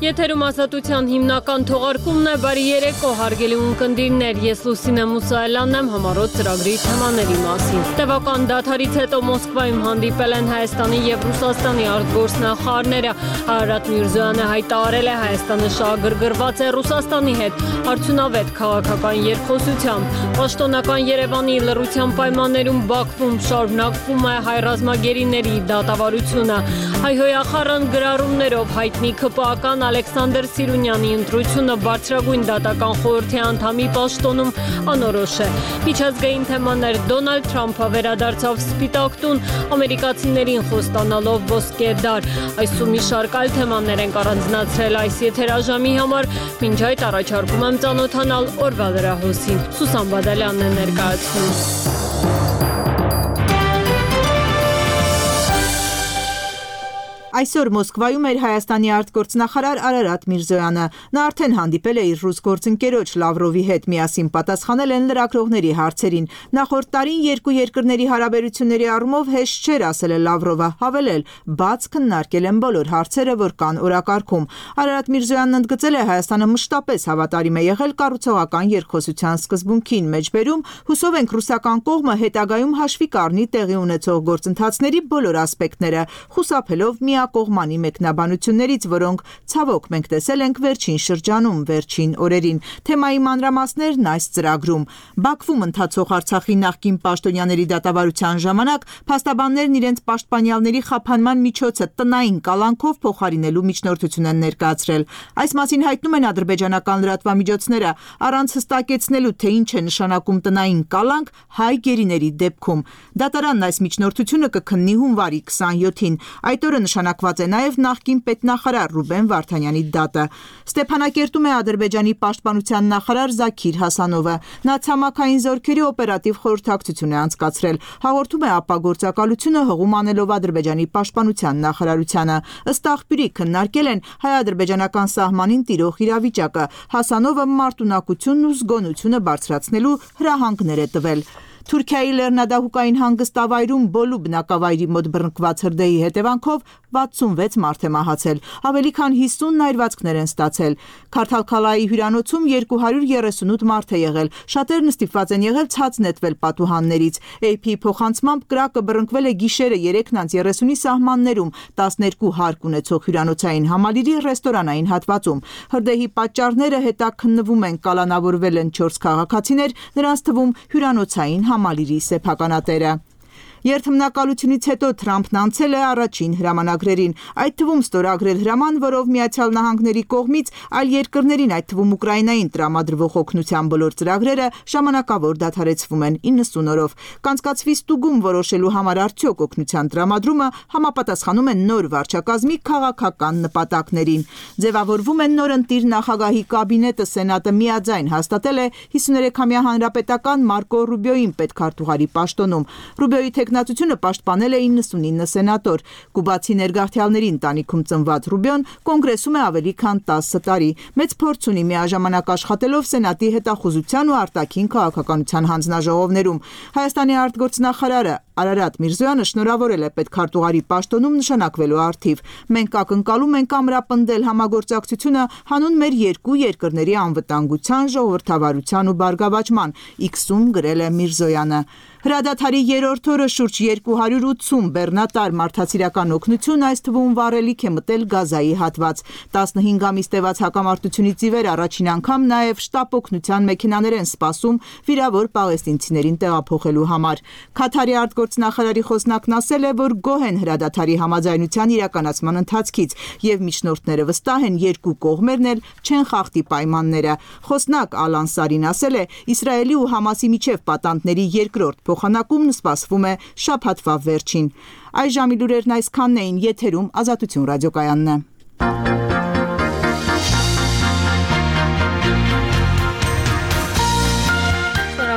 Եթերում ազատության հիմնական թողարկումն է, բարի երեկո, հարգելի ունկնդիրներ, ես Լուսինե Մուսայելյանն եմ, համառոտ ծրագրի թեմաների մասին։ Տևական դադարից հետո Մոսկվայում հանդիպել են Հայաստանի և Ռուսաստանի արտգործնախարարները։ Արարատ Միրզոյանը հայտարարել է Հայաստանը շահագրգռված է Ռուսաստանի հետ արդյունավետ քաղաքական երկխոսությամբ։ Պաշտոնական Երևանի լռության պայմաններում Բաքվում շարունակվում է հայ ռազմագերիների դատավարությունը։ Հայհոյախառն գրառումներով հայտնի ԿՊԱ-ական Ալեքսանդր Սիրունյանի ընտրությունը բարձրագույն դատական խորհրդի անդամի պաշտոնում անորոշ է։ Միջազգային թեմաներ Դոնալդ Թրամփը վերադարձավ Սպիտակ տուն, ամերիկացիներին խոստանալով ոսկե դար։ Այս ու մի շարք այլ թեմաներ ենք առանձնացրել այս եթերաժամի համար, մինչ այդ առաջարկում եմ ծանոթանալ օրվա լրահոսին։ Սուսան Բադալյանն է ներկայացնում։ Այսօր Մոսկվայում էր Հայաստանի արտգործնախարար Արարատ Միրզոյանը։ Նա արդեն հանդիպել է իր ռուս գործընկերոջ Լավրովի հետ, միասին պատասխանել են լրագրողների հարցերին։ Նախորդ տարին երկու երկրների հարաբերությունների առումով հեշտ չէր, ասել է Լավրովը, հավելել՝ բաց քննարկել են բոլոր հարցերը, որ կան օրակարգում։ Արարատ Միրզոյանն ընդգծել է Հայաստանը մշտապես հավատարիմ է եղել կառուցողական երկխոսության սկզբունքին, մեջբերում հուսով ենք ռուսական կողմը հետագայում հաշվի կառնի տեղի ունեցող գործընթացների բոլոր ասպեկտները, խուսափելով կողմանի մեկնաբանություններից, որոնք ցավոք մենք տեսել ենք վերջին շրջանում, վերջին օրերին։ Թեմայի մանրամասներն այս ծրագրում։ Բաքվում ընթացող Արցախի նախկին պաշտոնյաների դատավարության ժամանակ փաստաբաններն իրենց պաշտպանյալների խափանման միջոցը տնային կալանքով փոխարինելու միջնորդություն են ներկայացրել։ Այս մասին հայտնում են ադրբեջանական լրատվամիջոցները, առանց հստակեցնելու, թե ինչ է նշանակում տնային կալանք հայ գերիների դեպքում։ Դատարանն այս միջնորդությունը կքննի հունվարի 27-ին։ Այդ օրը նշանակված է նաև նախկին պետնախարար Ռուբեն Վարդանյանի դատը։ Ստեփանակերտում է Ադրբեջանի պաշտպանության նախարար Զաքիր Հասանովը։ Նա ցամաքային զորքերի օպերատիվ խորհրդակցություն է անցկացրել։ Հաղորդում է ԱՊԱ գործակալությունը հղում անելով Ադրբեջանի պաշտպանության նախարարությանը։ Ըստ աղբյուրի քննարկել են հայ-ադրբեջանական սահմանին տիրող իրավիճակը։ Հասանովը մարտունակությունն ու զգոնությունը բարձրացնելու հրահանգներ է տվել։ Թուրքիայի լեռնադահուկային հանգստավայրում Բոլու բնակավայրի մոտ բռնկված հրդեհի հետևանքով 66 մարդ է մահացել, ավելի քան 50 այրվածքներ են ստացել։ Քարթալքալայի հյուրանոցում 238 մարդ է եղել, շատերն ստիպված են եղել ցած նետվել պատուհաններից։ AP-ի փոխանցմամբ կրակը բռնկվել է գիշերը 3:30-ի սահմաններում 12 հարկ ունեցող հյուրանոցային համալիրի ռեստորանային հատվածում։ Հրդեհի պատճառները հետաքննվում են, կալանավորվել են 4 քաղաքացիներ, նրանց թվում հյուրանոցային համալիրի սեփականատերը։ Երթմնակալությունից հետո Թրամփն անցել է առաջին հրամանագրերին, այդ թվում ստորագրել հրաման, որով Միացյալ Նահանգների կողմից այլ երկրներին, այդ թվում Ուկրաինային տրամադրվող օգնության բոլոր ծրագրերը ժամանակավոր դադարեցվում են 90 օրով։ Կանցկացվի ստուգում որոշելու համար արդյոք օգնության տրամադրումը համապատասխանում է նոր վարչակազմի քաղաքական նպատակներին։ Ձևավորվում է նորընտիր նախագահի կաբինետը, Սենատը միաձայն հաստատել է 53-ամյա հանրապետական Մարկո Ռուբիոյին պետքարտուղարի պաշտոնում։ Ռուբիոյի թեկնածությունը պաշտպանել է 99 սենատոր։ Կուբացի ներգաղթյալների ընտանիքում ծնված Ռուբիոն կոնգրեսում է ավելի քան 10 տարի։ Մեծ փորձ ունի միաժամանակ աշխատելով Սենատի հետախուզության ու արտաքին քաղաքականության հանձնաժողովներում։ Հայաստանի արտգործնախարարը Արարատ Միրզոյանը շնորհավորել է պետքարտուղարի պաշտոնում նշանակվելու առթիվ։ Մենք ակնկալում ենք ամրապնդել համագործակցությունը հանուն մեր երկու երկրների անվտանգության, ժողովրդավարության ու բարգավաճման, X-ում գրել է Միրզոյանը։ Հրադադարի երրորդ օրը շուրջ 280 բեռնատար մարդասիրական օգնություն, այս թվում վառելիք է մտել Գազայի հատված։ 15 ամիս տևած հակամարտությունից ի վեր առաջին անգամ նաև շտապ օգնության մեքենաներ են սպասում վիրավոր պաղեստինցիներին տեղափոխելու համար։ Քաթարի արտգործնախարարի խոսնակն ասել է, որ գոհ են հրադադարի համաձայնության իրականացման ընթացքից եւ միջնորդները վստահ են, երկու կողմերն էլ չեն խախտի պայմանները։ Խոսնակ Ալան Սարին ասել է, Իսրայելի ու Համասի միջև պատանդների երկրորդ փոխանակումն սպասվում է շաբաթվա վերջին։ Այս ժամի լուրերն այսքանն էին, եթերում Ազատություն ռադիոկայանն է։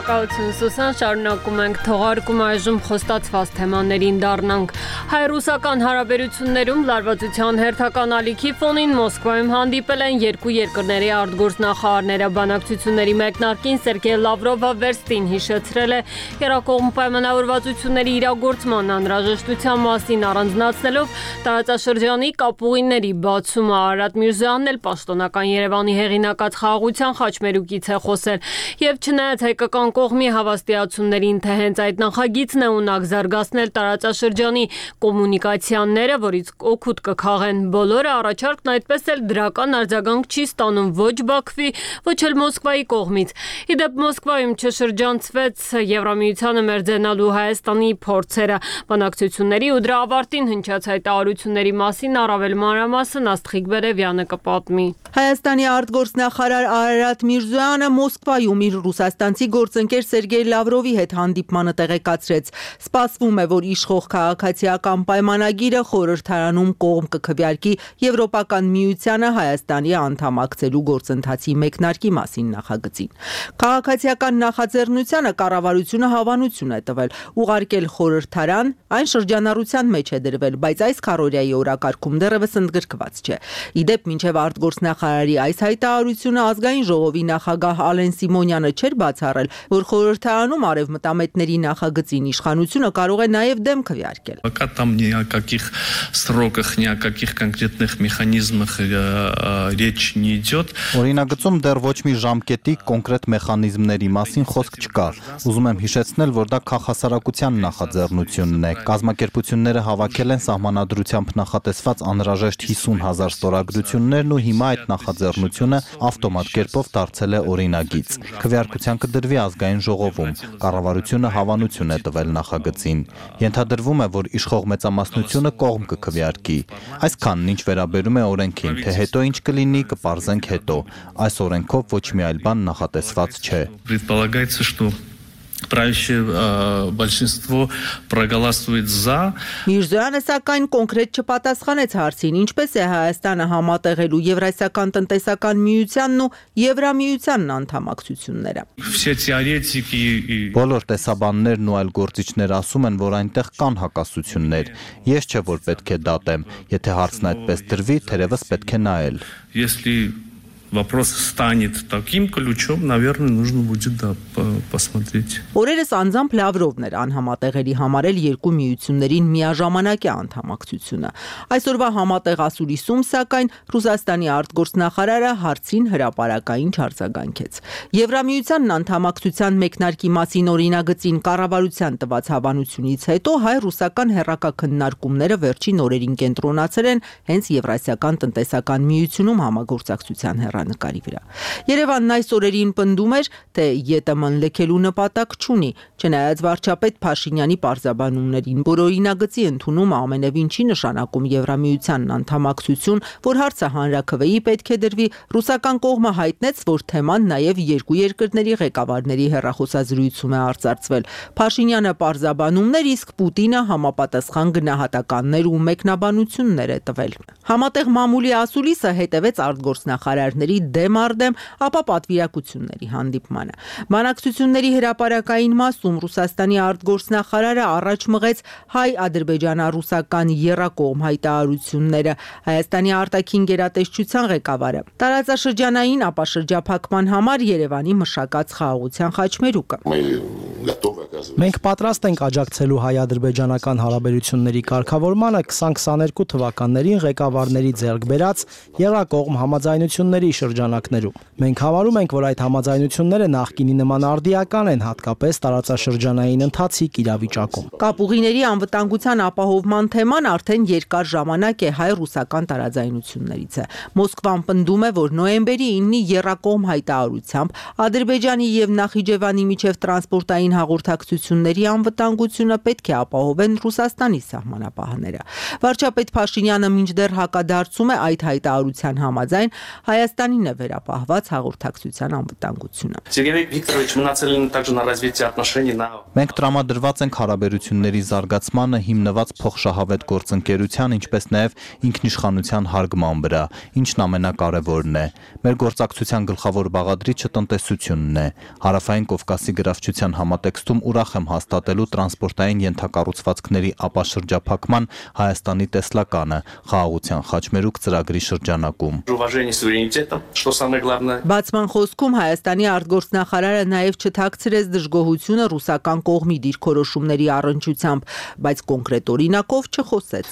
Շնորհակալություն Սուսան, շարունակում ենք թողարկում այժմ խոստացված թեմաներին դառնանք։ Հայ-ռուսական հարաբերություններում լարվածության հերթական ալիքի ֆոնին Մոսկվայում հանդիպել են երկու երկրների արտգործնախարարները։ Բանակցությունների մեկնարկին Սերգեյ Լավրովը վերստին հիշեցրել է երկկողմ պայմանավորվածությունների իրագործման անհրաժեշտության մասին, առանձնացնելով տարածաշրջանի կապուղիների բացումը։ Արարատ Միրզոյանն էլ պաշտոնական Երևանի հեղինակած խաղաղության խաչմերուկից է խոսել եւ չնայած հայկական կողմի հավաստիացումներին, թե հենց այդ նախագիծն է ունակ զարգացնել տարածաշրջանի կոմունիկացիաները, որից օգուտ կքաղեն բոլորը, առաջարկն այդպես էլ դրական արձագանք չի ստանում ոչ Բաքվի, ոչ էլ Մոսկվայի կողմից։ Իդեպ Մոսկվայում չշրջանցվեց Եվրամիությանը մերձենալու Հայաստանի փորձերը։ Բանակցությունների ու դրա ավարտին հնչած հայտարարությունների մասին առավել մանրամասն Աստղիկ Բերևյանը կպատմի։ Հայաստանի արտգործնախարար Արարատ Միրզոյանը Մոսկվայում իր ռուսաստանցի գործընկեր Սերգեյ Լավրովի հետ հանդիպմանը տեղեկացրեց։ Սպասվում է, որ իշխող քաղաքացիական պայմանագիրը խորհրդարանում կողմ կքվեարկի Եվրոպական միությանը Հայաստանի անդամակցելու գործընթացի մեկնարկի մասին նախագծին։ Քաղաքացիական նախաձեռնությանը կառավարությունը հավանություն է տվել, ուղարկել խորհրդարան, այն շրջանառության մեջ է դրվել, բայց այս քառօրյայի օրակարգում դեռևս ընդգրկված չէ։ Իդեպ մինչև արտգործնախարարի այս հայտարարությունը Ազգային ժողովի նախագահ Ալեն Սիմոնյանը չէր բացառել, որ խորհրդարանում արևմտամետների նախագծին իշխանությունը կարող է նաև դեմ քվեարկել։ Пока там ни о каких сроках, ни о каких конкретных механизмах речь не идет. Օրինագծում դեռ ոչ մի ժամկետի կոնկրետ մեխանիզմների մասին խոսք չկա։ Ուզում եմ հիշեցնել, որ դա քաղաքասարակության նախաձեռնությունն է։ Կազմակերպությունները հավաքել են սահմանադրությամբ նախատեսված անհրաժեշտ 50,000 ստորագրություններն ու հիմա այդ նախաձեռնությունը ավտոմատ կերպով դարձել է օրինագիծ։ Քվեարկության կդրվի Ազգային ժողովում։ Կառավարությունը հավանություն է տվել նախագծին։ Ենթադրվում է, որ իշխող մեծամասնությունը կողմ կքվեարկի։ Այսքանն ինչ վերաբերում է օրենքին, թե հետո ինչ կլինի, կպարզենք հետո։ Այս օրենքով ոչ մի այլ բան նախատեսված չէ։ Предполагается, что правящее большинство проголосует за. Միրզոյանը սակայն կոնկրետ չպատասխանեց հարցին, ինչպես է Հայաստանը համատեղելու Եվրասիական տնտեսական միությանն ու Եվրամիությանն անդամակցությունները։ Все теоретики. Բոլոր տեսաբաններն ու այլ գործիչներ ասում են, որ այնտեղ կան հակասություններ։ Ես չէ որ պետք է դատեմ, եթե հարցն այդպես դրվի, թերևս պետք է նայել։ Если вопрос станет таким ключом, наверное, нужно будет посмотреть. Օրերս անձամբ Լավրովն էր անհամատեղելի համարել երկու միություններին միաժամանակյա անդամակցությունը։ Այսօրվա համատեղ ասուլիսում, սակայն Ռուսաստանի արտգործնախարարը հարցին հրապարակային չարձագանքեց։ Եվրամիությանն անդամակցության մեկնարկի մասին օրինագծին կառավարության տված հավանությունից հետո հայ-ռուսական հեռակա քննարկումները վերջին օրերին կենտրոնացել են հենց Եվրասիական տնտեսական միությունում համագործակցության նկարի վրա։ Երևանն այս օրերին պնդում էր, թե ԵՏՄ-ն լքելու նպատակ չունի, չնայած վարչապետ Փաշինյանի պարզաբանումներին, որ օրինագծի ընդունումը ամենևին չի նշանակում Եվրամիությանն անդամակցություն, որ հարցը հանրաքվեի պետք է դրվի, ռուսական կողմը հայտնեց, որ թեման նաև երկու երկրների ղեկավարների հեռախոսազրույցում է արծարծվել։ Փաշինյանը պարզաբանումներ, իսկ Պուտինը համապատասխան գնահատականներ ու մեկնաբանություններ է տվել։ Համատեղ մամուլի ասուլիսը հետևեց արտգործնախարարների դեմ արդեմ, ապա պատվիրակությունների հանդիպմանը։ Բանակցությունների հրապարակային մասում Ռուսաստանի արտգործնախարարը առաջ մղեց հայ-ադրբեջանա-ռուսական եռակողմ հայտարարությունները։ Հայաստանի արտաքին գերատեսչության ղեկավարը տարածաշրջանային ապաշրջափակման համար Երևանի մշակած խաղաղության խաչմերուկը։ Մենք պատրաստ ենք աջակցելու հայ-ադրբեջանական հարաբերությունների կարգավորմանը 2022 թվականներին ղեկավարների ձեռք բերած եռակողմ համաձայնությունների շրջանակներում։ Մենք համարում ենք, որ այդ համաձայնությունները նախկինի նման արդիական են, հատկապես տարածաշրջանային ընթացիկ իրավիճակում։ Կապուղիների անվտանգության ապահովման թեման արդեն երկար ժամանակ է հայ-ռուսական տարաձայնություններից է։ Մոսկվան պնդում է, որ նոյեմբերի 9-ի եռակողմ հայտարարությամբ Ադրբեջանի եւ Նախիջևանի միջև տրանսպորտային հաղորդակցություն ուղեկցությունների անվտանգությունը պետք է ապահովեն Ռուսաստանի սահմանապահները։ Վարչապետ Փաշինյանը մինչդեռ հակադարձում է այդ հայտարարության համաձայն Հայաստանին է վերապահված հաղորդակցության անվտանգությունը։ Սերգեյ Վիկտորովիչ, мы нацелены также на развитие отношений на Մենք տրամադրված ենք հարաբերությունների զարգացմանը հիմնված փոխշահավետ գործընկերության, ինչպես նաև ինքնիշխանության հարգման վրա, ինչն ամենակարևորն է։ Մեր գործակցության գլխավոր բաղադրիչը տնտեսությունն է։ Հարավային Կովկասի գրավչության համատեքստում ուրախ եմ հաստատելու տրանսպորտային ենթակառուցվածքների ապաշրջափակման Հայաստանի տեսլականը խաղաղության խաչմերուկ ծրագրի շրջանակում։ Բացման խոսքում Հայաստանի արտգործնախարարը նաև չթաքցրեց դժգոհությունը ռուսական կողմի դիրքորոշումների առնչությամբ, բայց կոնկրետ օրինակով չխոսեց։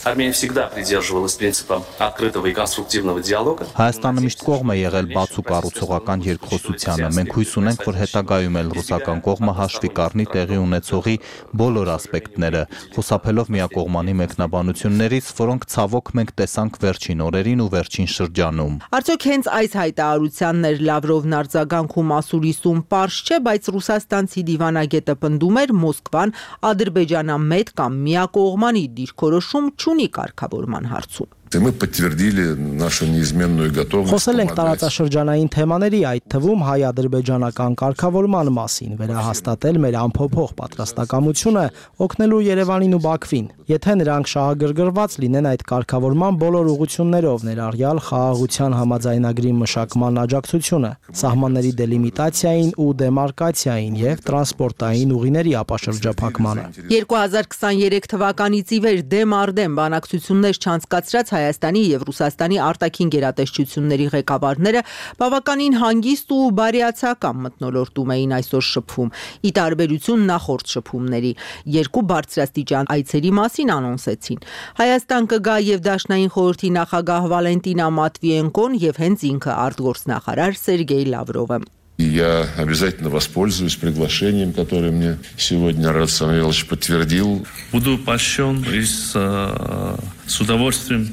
Հայաստանը միշտ կողմ է եղել բաց ու կառուցողական երկխոսությանը։ Մենք հույս ունենք, որ հետագայում էլ ռուսական կողմը հաշվի կառնի տեղի ունեցողի բոլոր ասպեկտները, խուսափելով միակողմանի մեկնաբանություններից, որոնք ցավոք մենք տեսանք վերջին օրերին ու վերջին շրջանում։ Արդյոք հենց այս հայտարարությանն էր Լավրովն արձագանքում ասուլիսում պարզ չէ, բայց ռուսաստանցի դիվանագետը պնդում էր Մոսկվան ադրբեջանամետ կամ միակողմանի դիրքորոշում չունի կարգավորման հարցում։ Мы подтвердили нашу неизменную готовность. Խոսել ենք տարածաշրջանային թեմաների, այդ թվում հայ-ադրբեջանական կարգավորման մասին, վերահաստատել մեր անփոփոխ պատրաստակամությունը օգնելու Երևանին ու Բաքվին, եթե նրանք շահագրգռված լինեն այդ կարգավորման բոլոր ուղղություններով, ներառյալ խաղաղության համաձայնագրի մշակման աջակցությունը, սահմանների դելիմիտացիային ու դեմարկացիային եւ տրանսպորտային ուղիների ապաշրջափակմանը։ 2023 թվականից ի վեր դեմ առ դեմ բանակցություններ չանցկացրած Հայաստանի եւ Ռուսաստանի արտաքին գերատեսչությունների ղեկավարները բավականին հանգիստ ու բարյացակամ մթնոլորտում էին այսօր շփվում, ի տարբերություն նախորդ շփումների։ Երկու բարձրաստիճան այցերի մասին անոնսեցին։ Հայաստան կգա եւ Դաշնային խորհրդի նախագահ Վալենտինա Մատվիենկոն եւ հենց ինքը արտգործնախարար Սերգեյ Լավրովը։ Я обязательно воспользуюсь приглашением, которое мне сегодня Арарат Самвелович подтвердил. Буду польщен и с удовольствием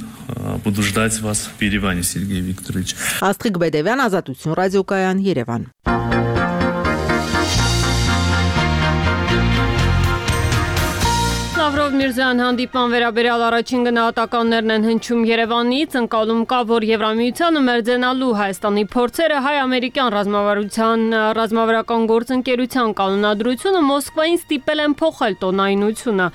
буду ждать вас в Ереване, Сергей Викторович. Աստղիկ Բեդևյան, Ազատություն ռադիոկայան, Երևան։ Լավրով Միրզոյան հանդիպման վերաբերյալ առաջին գնահատականներն են հնչում Երևանից, ընկալում կա, որ Եվրամիությանը մերձենալու Հայաստանի փորձերը հայ-ամերիկյան ռազմավարական գործընկերության կանոնադրությունը Մոսկվային ստիպել են փոխել տոնայնությունը։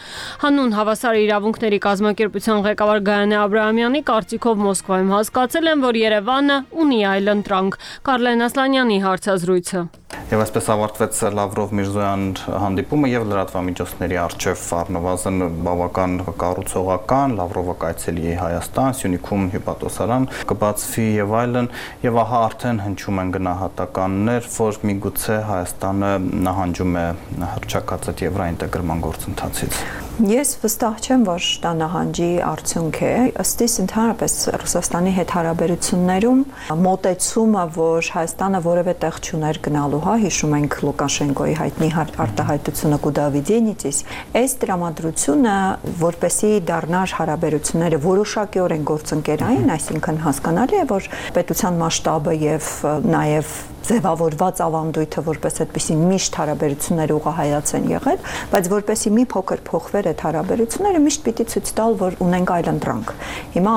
Հանուն հավասար իրավունքների կազմակերպության ղեկավար Գայանե Աբրահամյանի կարծիքով Մոսկվայում հասկացել են, որ Երևանը ունի այլընտրանք։ Կարլեն Ասլանյանի հարցազրույցը։ Եվ այսպես ավարտվեց Լավրով-Միրզոյան հանդիպումը եւ լրատվամիջոցների առջև առնվազն բավական կառուցողական, Լավրովը կայցելի է Հայաստան, Սյունիքում հյուպատոսարան կբացվի եւ այլն, եւ ահա արդեն հնչում են գնահատականներ, որ միգուցե Հայաստանը նահանջում է հռչակածը եվրոինտեգրման գործընթացից։ Ես վստահ չեմ, որ դա նահանջի արդյունք է, ըստ իս ընդհանրապես Ռուսաստանի հետ հարաբերություններում մոտեցումը, որ Հայաստանը որևէ տեղ չուներ գնալու, հիշում ենք Լուկաշենկոյի հայտնի արտահայտությունը Կուդավիդենիցից, այս տրամադրությունը, որպեսզի դառնար հարաբերությունները որոշակիորեն գործընկերային, այսինքն հասկանալի է, որ պետության մասշտաբը եւ նաեւ ձևավորված ավանդույթը որպես այդպիսի միշտ հարաբերությունները ուղղահայաց են եղել, բայց որպեսի մի փոքր փոխվեր այդ հարաբերությունները միշտ պիտի ցույց տալ, որ ունենք այլընտրանք։ Հիմա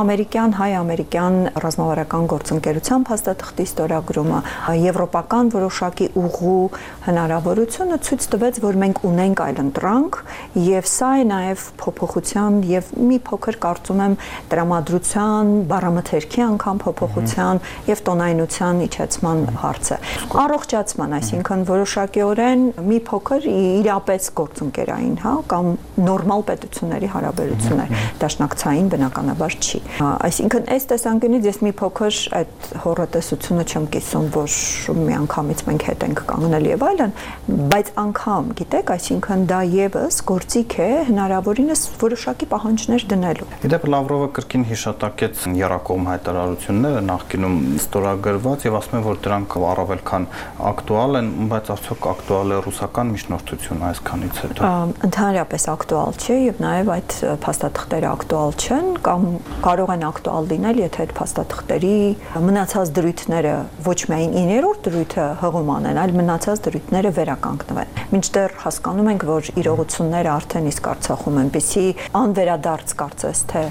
հայ-ամերիկյան ռազմավարական գործընկերության փաստաթղթի ստորագրումը, եվրոպական որոշակի ուղու հնարավորությունը ցույց տվեց, որ մենք ունենք այլընտրանք, եւ սա է նաեւ փոփոխության եւ մի փոքր կարծում եմ տրամադրության, բառամթերքի անգամ փոփոխության եւ տոնայնության իջեցման հարցը։ Առողջացման, այսինքն որոշակիորեն մի փոքր իրապես գործընկերային, կամ նորմալ պետությունների հարաբերություններ, դաշնակցային բնականաբար չի։ Այսինքն այս տեսանկյունից ես մի փոքր այդ հոռետեսությունը չեմ կիսում, որ միանգամից մենք հետ ենք կանգնել եւ այլն, բայց անգամ, գիտեք, այսինքն դա եւս գործիք է հնարավորինս որոշակի պահանջներ դնելու։ Իդեպ Լավրովը կրկին հիշատակեց եռակողմ հայտարարությունները նախկինում ստորագրված եւ ասում է, որ դրանք առավել քան ակտուալ են, բայց արդյոք ակտուալ է ռուսական միջնորդությունը այսքանից հետո։ Ընդհանրապես ակտուալ չէ եւ նաեւ այդ փաստաթղթերը ակտուալ չեն կամ կարող են ակտուալ լինել, եթե այդ փաստաթղթերի մնացած դրույթները ոչ միայն 9-րդ դրույթը հղում անեն, այլ մնացած դրույթները վերականգնվեն։ Մինչդեռ հասկանում ենք, որ իրողությունները արդեն իսկ Արցախում այնպիսի անվերադարձ կարծես թե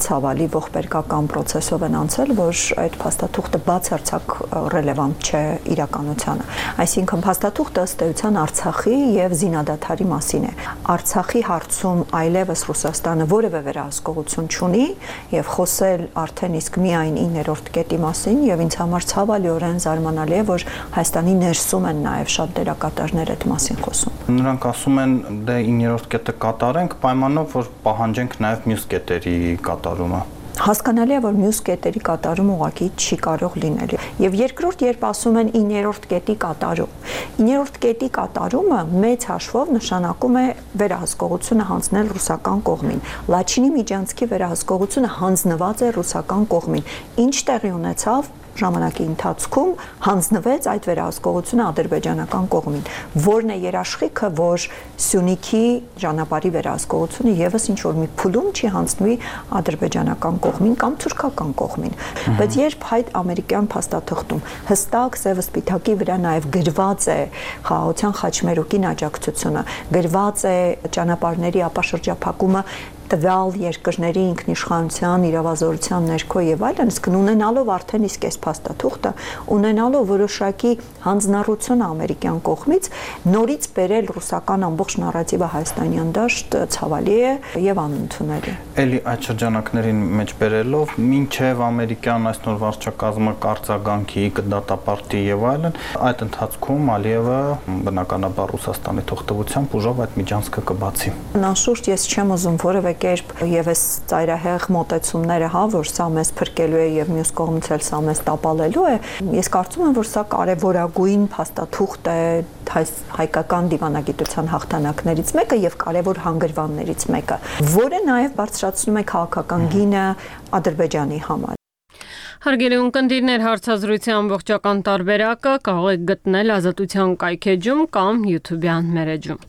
ցավալի ողբերգական process-ով են անցել, որ այդ փաստաթուղթը բացարձակ ռելևանտ չէ իրականությանը։ Այսինքն փաստաթուղթը ըստ էության Արցախի եւ զինադադարի մասին է։ Արցախի հարցում այլևս Ռուսաստանը որևէ վերահսկողություն չունի եւ խոսել արդեն իսկ միայն 9-րդ կետի մասին եւ ինձ համար ցավալիորեն զարմանալի է, որ Հայաստանի ներսում են նաեւ շատ դերակատարներ այդ մասին խոսում։ Նրանք ասում են դե 9-րդ կետը կատարենք պայմանով, որ պահանջենք նաեւ մյուս կետերի կատարումը։ Հասկանալի է, որ մյուս կետերի կատարում ուղղակի չի կարող լինել։ Եվ երկրորդ, երբ ասում են 9-րդ կետի կատարում, 9-րդ կետի կատարումը մեծ հաշվով նշանակում է վերահսկողությունը հանձնել ռուսական կողմին։ Լաչինի Միջանցքի վերահսկողությունը հանձնված է ռուսական կողմին։ Ինչ տեղի ունեցավ ժամանակի ընթացքում հանձնվեց այդ վերահսկողությունը ադրբեջանական կողմին, որն է երաշխիքը, որ Սյունիքի ճանապարհի վերահսկողությունը եւս ինչ որ մի փուլում չի հանձնվի ադրբեջանական կողմին կամ թուրքական կողմին, բայց երբ այդ ամերիկյան փաստաթղթում հստակ սևը սպիտակի վրա նաեւ գրված է խաղաղության խաչմերուկին աջակցությունը, գրված է ճանապարհների ապաշրջափակումը տվյալ երկրների ինքնիշխանության, իրավազորության ներքո եւ այլն, իսկ ունենալով արդեն իսկ այս փաստաթուղթը, ունենալով որոշակի հանձնառություն ամերիկյան կողմից, նորից բերել ռուսական ամբողջ նարատիվը Հայաստանյան դաշտ ցավալի է եւ անընդունելի։ Էլի այդ շրջանակներին մեջ բերելով, մինչև ամերիկյան այս նոր վարչակազմը կարձագանքի, կդատապարտի եւ այլն, այդ ընթացքում Ալիևը բնականաբար Ռուսաստանի թողտվությամբ ուժով այդ միջանցքը կբացի։ Անշուշտ ես չեմ ուզում որևէ կերպ եւս ծայրահեղ մոտեցումները, որ սա մեզ փրկելու է եւ մյուս կողմից էլ սա մեզ տապալելու է, ես կարծում եմ, որ սա կարևորագույն փաստաթուղթ է հայկական դիվանագիտության հաղթանակներից մեկը եւ կարևոր հանգրվաններից մեկը, որը նաեւ բարձրացնում է քաղաքական գինը Ադրբեջանի համար։ Հարգելի ունկնդիրներ, հարցազրույցի ամբողջական տարբերակը կարող եք գտնել Ազատության կայքեջում կամ YouTube-յան մեր էջում։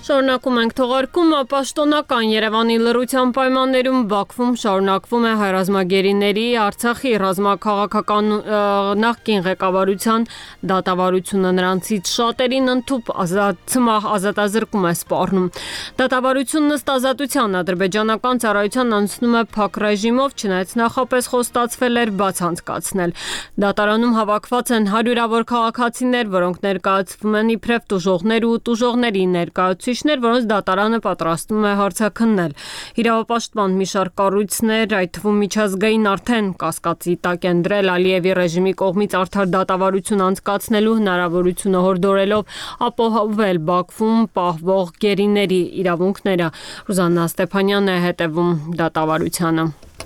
Շարունակում ենք թողարկումը, պաշտոնական Երևանի լռության պայմաններում Բաքվում շարունակվում է հայրազմագերիների Արցախի ռազմաքաղաքական նախկին ղեկավարության դատավարությունը, նրանցից շատերին ընդཐུպ ազատազրկում է սպառնում։ Դատավարությունն ըստ Ազատության ադրբեջանական ծառայության անցնում է փակ ռեժիմով, չնայած նախապես խոստացվել էր բաց անցկացնել։ Դատարանում հավաքված են հարյուրավոր քաղաքացիներ, որոնք ներկայացվում են իբրև տուժողներ ու տուժողների ներկայացուցիչներ, որոնց դատարանը պատրաստվում է հարցաքննել։ Իրավապաշտպան մի շարք կառույցներ, այդ թվում միջազգային, արդեն կասկածի տակ են դրել Ալիևի ռեժիմի կողմից արդար դատավարություն անցկացնելու հնարավորությունը, հորդորելով ապահովել Բաքվում պահվող գերիների իրավունքները։ Ռուզաննա Ստեփանյանն է հետևում դատավարությանը։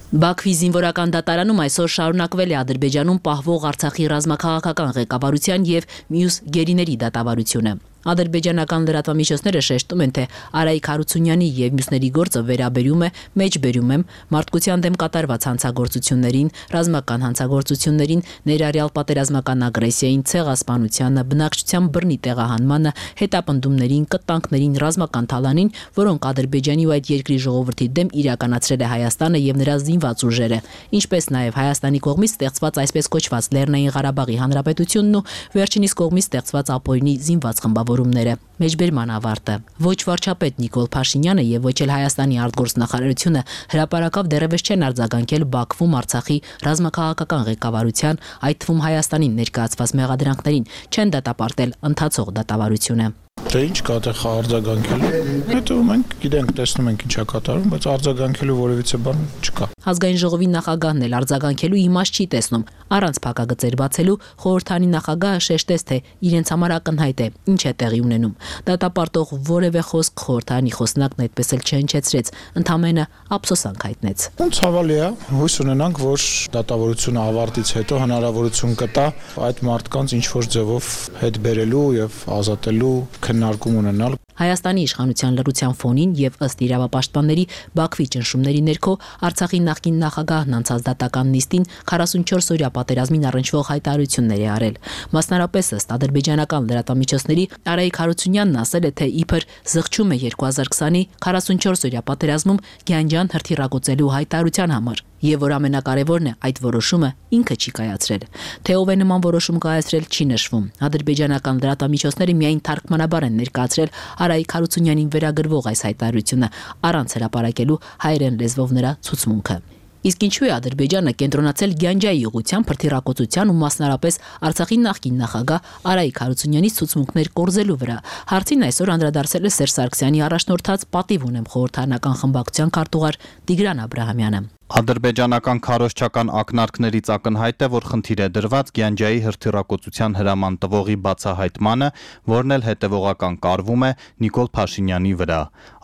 Բաքվի զինվորական դատարանում այսօր շարունակվել է Ադրբեջանում պահվող Արցախի ռազմաքաղաքական ղեկավարության եւ մյուս գերիների դատավարությունը։ Ադրբեջանական լրատվամիջոցները շեշտում են, թե Արայիկ Հարությունյանի եւ մյուսների գործը վերաբերում է մեջբերում եմ մարդկության դեմ կատարված հանցագործություններին, ռազմական հանցագործություններին, ներառյալ պատերազմական ագրեսիային, ցեղասպանությանը, բնակչության բռնի տեղահանմանը, հետապնդումներին, կտանքներին, ռազմական թալանին, որոնք Ադրբեջանի ու այդ երկրի ժողովրդի դեմ իրականացրել է Հայաստանը եւ նրա զինված ուժերը, ինչպես նաեւ Հայաստանի կողմից ստեղծված այսպես կոչված Լեռնային Ղարաբաղի Հանրապետությունն ու վերջինիս կողմից ստեղծված Ապօրինի զինված խմբավորումները։ Մեջբերման ավարտը։ Ոչ վարչապետ Նիկոլ Փաշինյանը եւ ոչ էլ Հայաստանի արտգործնախարարությունը հրապարակավ դեռևս չեն արձագանքել Բաքվում Արցախի ռազմաքաղաքական ղեկավարության, այդ թվում Հայաստանին ներկայացված մեղադրանքներին, չեն դատապարտել ընթացող դատավարությունը։ Դե ինչ կա այդտեղ արձագանքելու։ Հետո մենք գիտենք, տեսնում ենք ինչա կատարվում, բայց արձագանքելու որևիցե բան չկա։ Ազգային ժողովի նախագահն էլ արձագանքելու իմաստ չի տեսնում։ Առանց փակագծեր բացելու խորհրդանի նախագահը շեշտեց, թե իրենց համար ակնհայտ է ինչ է տեղի ունենում։ Դատապարտող որևէ խոսք խորհրդանի խոսնակն այդպես էլ չհնչեցրեց, ընդամենը ափսոսանք հայտնեց։ Ցավալի է, հույս ունենանք, որ դատավարությունը ավարտից հետո հնարավորություն կտա այդ մարդկանց ինչ որ ձևով հետ բերելու եւ ազատելու քննարկում ունենալ։ Հայաստանի իշխանության լռության ֆոնին եւ ըստ իրավապաշտպանների Բաքվի ճնշումների ներքո Արցախի նախկին նախագահն անցած դատական նիստին 44-օրյա պատերազմին առնչվող հայտարարություններ է արել։ Մասնարապես ըստ ադրբեջանական լրատվամիջոցների Արայիկ Հարությունյանն ասել է, թե իբր զղջում է 2020-ի 44-օրյա պատերազմում Գյանջան հրթիռակոծելու հայտարարության համար։ Եվ որ ամենակարևորն է, այդ որոշումը ինքը չի կայացրել։ Թե ով է նման որոշում կայացրել, չի նշվում։ Ադրբեջանական լրատվամիջոցները միայն թարգմանաբար են ներկայացրել Արայիկ Հարությունյանին վերագրվող այս հայտարարությունը, առանց հրապարակելու հայերեն լեզվով նրա ցուցմունքը։ Իսկ ինչու է Ադրբեջանը կենտրոնացել Գյանջայի ուղղությամբ հրթիռակոծության ու մասնարապես Արցախի նախկին նախագահ Արայիկ Հարությունյանի ցուցմունքներ կորզելու վրա։ Հարցին այսօր անդրադարձել է Սերժ Սարգսյանի առաջնորդած «Պատիվ ունեմ» խորհրդարանական խմբակցության քարտուղար Տիգրան Աբրահամյանը։ Ադրբեջանական քարոզչական ակնարկներից ակնհայտ է, որ խնդիր է դրված Գյանջայի հրթիռակոծության հրաման տվողի բացահայտմանը, որն էլ հետևողական կարվում է Նիկոլ Փաշինյանի վրա։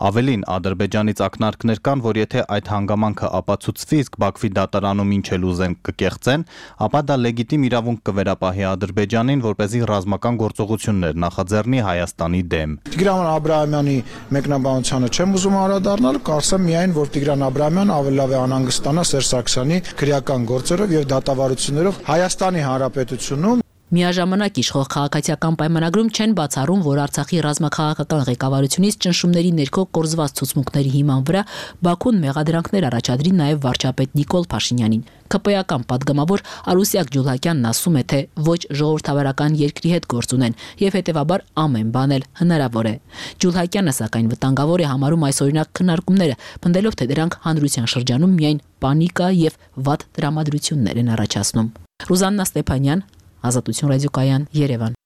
Ավելին, Ադրբեջանից ակնարկներ կան, որ եթե այդ հանգամանքը ապացուցվի, իսկ Բաքվի դատարանում ինչ էլ ուզեն կկեղծեն, ապա դա լեգիտիմ իրավունք կվերապահի Ադրբեջանին, որպեսզի ռազմական գործողություններ նախաձեռնի Հայաստանի դեմ։ Տիգրան Աբրահամյանի մեկնաբանությանը չեմ ուզում անդրադառնալ, կարծեմ միայն, որ Տիգրան Աբրահամյանը ավելի լավ է անհանգստանա Սերժ Սարգսյանի քրեական գործերով եւ դատավարություններով Հայաստանի Հանրապետությունում։ Միաժամանակ իշխող քաղաքացիական պայմանագրում չեն բացառում, որ Արցախի ռազմաքաղաքական ղեկավարությունից ճնշումների ներքո կորզված ցուցմունքների հիման վրա Բաքուն մեղադրանքներ առաջադրի նաև վարչապետ Նիկոլ Փաշինյանին։ ԿՊ-ական падգամավոր Արուսյակ Ջուլհակյանն ասում է, թե ոչ ժողովրդավարական երկրի հետ գործ ունեն եւ հետեւաբար ամեն բան էլ հնարավոր է։ Ջուլհակյանը սակայն վտանգավոր է համարում այսօրինակ քննարկումները, պնդելով, թե դրանք հանրության շրջանում միայն պանիկա եւ վատ տրամադրություններ են առաջացնում։ Ռուզաննա Ստեփանյան, Ազատություն ռադիոկայան, Երևան։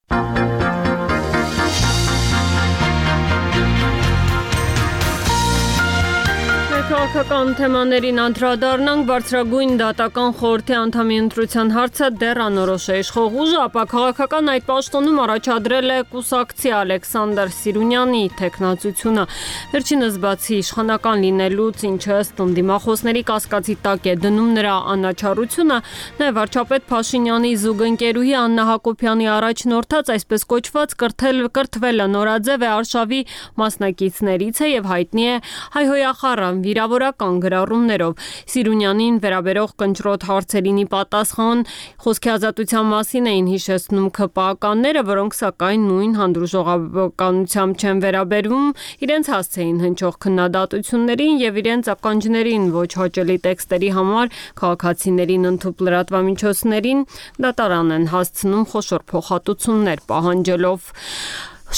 Քաղաքական թեմաներին անդրադառնանք, բարձրագույն դատական խորհրդի անդամի ընտրության հարցը դեռ անորոշ է։ Իշխող ուժը ապա քաղաքական այդ պաշտոնում առաջադրել է կուսակցի Ալեքսանդր Սիրունյանի թեկնածությունը։ Վերջինս բացի իշխանական լինելուց, ինչը ըստ ընդդիմախոսների կասկածի տակ է դնում նրա անաչառությունը, նաև վարչապետ Փաշինյանի զուգընկերուհի Աննա Հակոբյանի առաջնորդած այսպես կոչված կրթվելը նորաձև է արշավի մասնակիցներից է եւ հայտնի է հայհոյախառն վիրավորական գրառումներով։ Սիրունյանին վերաբերող կնճռոտ հարցերին պատասխան խոսքի ազատության մասին էին հիշեցնում ԿՊ-ականները, որոնք սակայն նույն հանդուրժողականությամբ չեն վերաբերվում իրենց հասցեին հնչող քննադատություններին եւ իրենց ականջներին ոչ հաճելի տեքստերի համար քաղաքացիներին ընդཐུպ լրատվամիջոցներին դատարան են հասցնում խոշոր փոխհատուցումներ պահանջելով։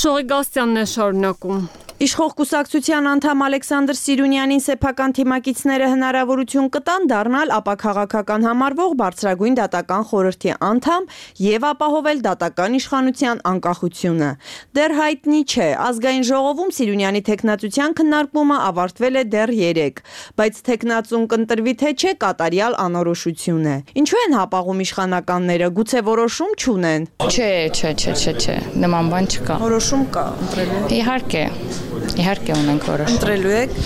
Շողի Գաստյանն է շարունակում։ Իշխող կուսակցության անդամ Ալեքսանդր Սիրունյանին սեփական թիմակիցները հնարավորություն կտան դառնալ ապաքաղաքական համարվող բարձրագույն դատական խորհրդի անդամ եւ ապահովել դատական իշխանության անկախությունը։ Դեռ հայտնի չէ, ազգային ժողովում Սիրունյանի թեկնածության քննարկումը ավարտվել է դեռ 3, բայց թեկնածուն կընտրվի թե չէ կատարյալ անորոշություն է։ Ինչու են հապաղում իշխանականները, գուցե որոշում չունեն։ Չէ, նման բան չկա։ Որոշում կա, ընտրելու։ Իհարկե ունենք որոշում։ Ընտրելու եք։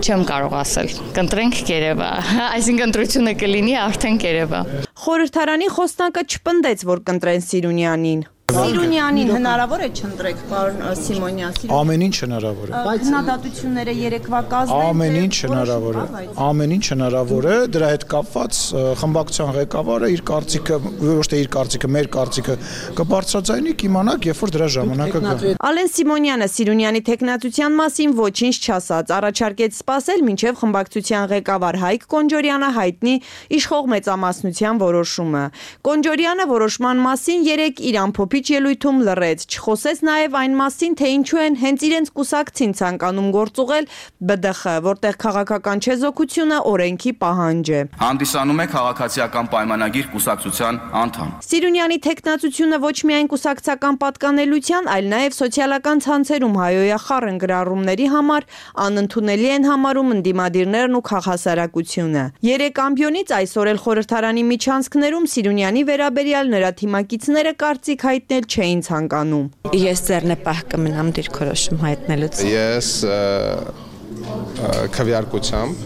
Չեմ կարող ասել։ Կընտրենք կերևա։ Այսինքն ընտրությունը կլինի արդեն կերևա։ Խորհրդարանի խոսնակը չպնդեց, որ կընտրեն Սիրունյանին։ Սիրունյանին հնարավոր է չընտրեք, պարոն Սիմոնյան։ Ամեն ինչ հնարավոր է։ Բայց հնադատությունները երեկվա կազմել։ Ամեն ինչ հնարավոր է։ Ամեն ինչ հնարավոր է, դրա հետ կապված խմբակցության ղեկավարը իր կարծիքը, ոչ թե իր կարծիքը, մեր կարծիքը կբարձրաձայնի, կիմանաք, երբ որ դրա ժամանակը գա։ Ալեն Սիմոնյանը Սիրունյանի թեկնածության մասին ոչինչ չասաց, առաջարկեց սպասել մինչև խմբակցության ղեկավար Հայկ Կոնջորյանը հայտնի իշխող մեծամասնության որոշումը։ Կոնջորյանը որոշման մասին երեք իր ամփոփիչ ելույթում լռեց, չխոսեց նաև այն մասին, թե ինչու են հենց իրենց կուսակցին ցանկանում գործուղել ԲԴԽ, որտեղ քաղաքական չեզոքությունը օրենքի պահանջ է։ Հանդիսանում է քաղաքացիական պայմանագիր կուսակցության անդամ։ Սիրունյանի թեկնածությունը ոչ միայն կուսակցական պատկանելության, այլ նաև սոցիալական ցանցերում հայոյախառն գրառումների համար անընդունելի են համարում ընդդիմադիրներն ու քաղաքասարակությունը։ 3 ամբիոնից այսօր էլ խորհրդարանի միջանցքներում Սիրունյանի վերաբերյալ նրա թիմակիցները կարծիք հայտնել չէին ցանկանում։ Ես ձեռնպահ կմնամ դիրքորոշում հայտնելուց։ Ես քվեարկությամբ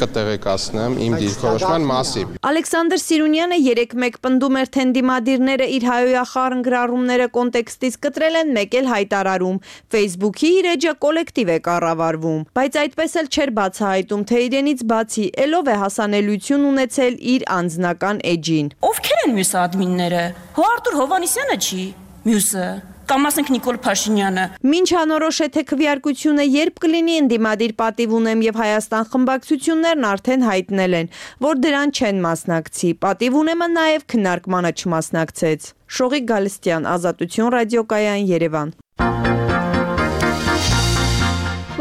կտեղեկացնեմ իմ դիրքորոշման մասին։ Ալեքսանդր Սիրունյանը 3-1 պնդում էր, թե ընդդիմադիրները իր հայոյախառն գրառումները կոնտեքստից կտրել են, մեկ էլ հայտարարում։ Facebook-ի իր էջը կոլեկտիվ է կառավարվում, բայց այդպես էլ չէր բացահայտում, թե իրենից բացի ելով է հասանելիություն ունեցել իր անձնական էջին։ Ովքեր են մյուս ադմինները։ Արտուր Հովանեսյանը չի, մյուսը կամ ասենք Նիկոլ Փաշինյանը։ Մինչ անորոշ է, թե քվեարկությունը երբ կլինի, ընդդիմադիր պատիվ ունեմ եւ Հայաստան խմբակցություններն արդեն հայտնել են, որ դրան չեն մասնակցի։ Պատիվ ունեմը նաեւ քննարկմանը չմասնակցեց։ Շողիկ Գալստյան, Ազատություն ռադիոկայան, Երևան։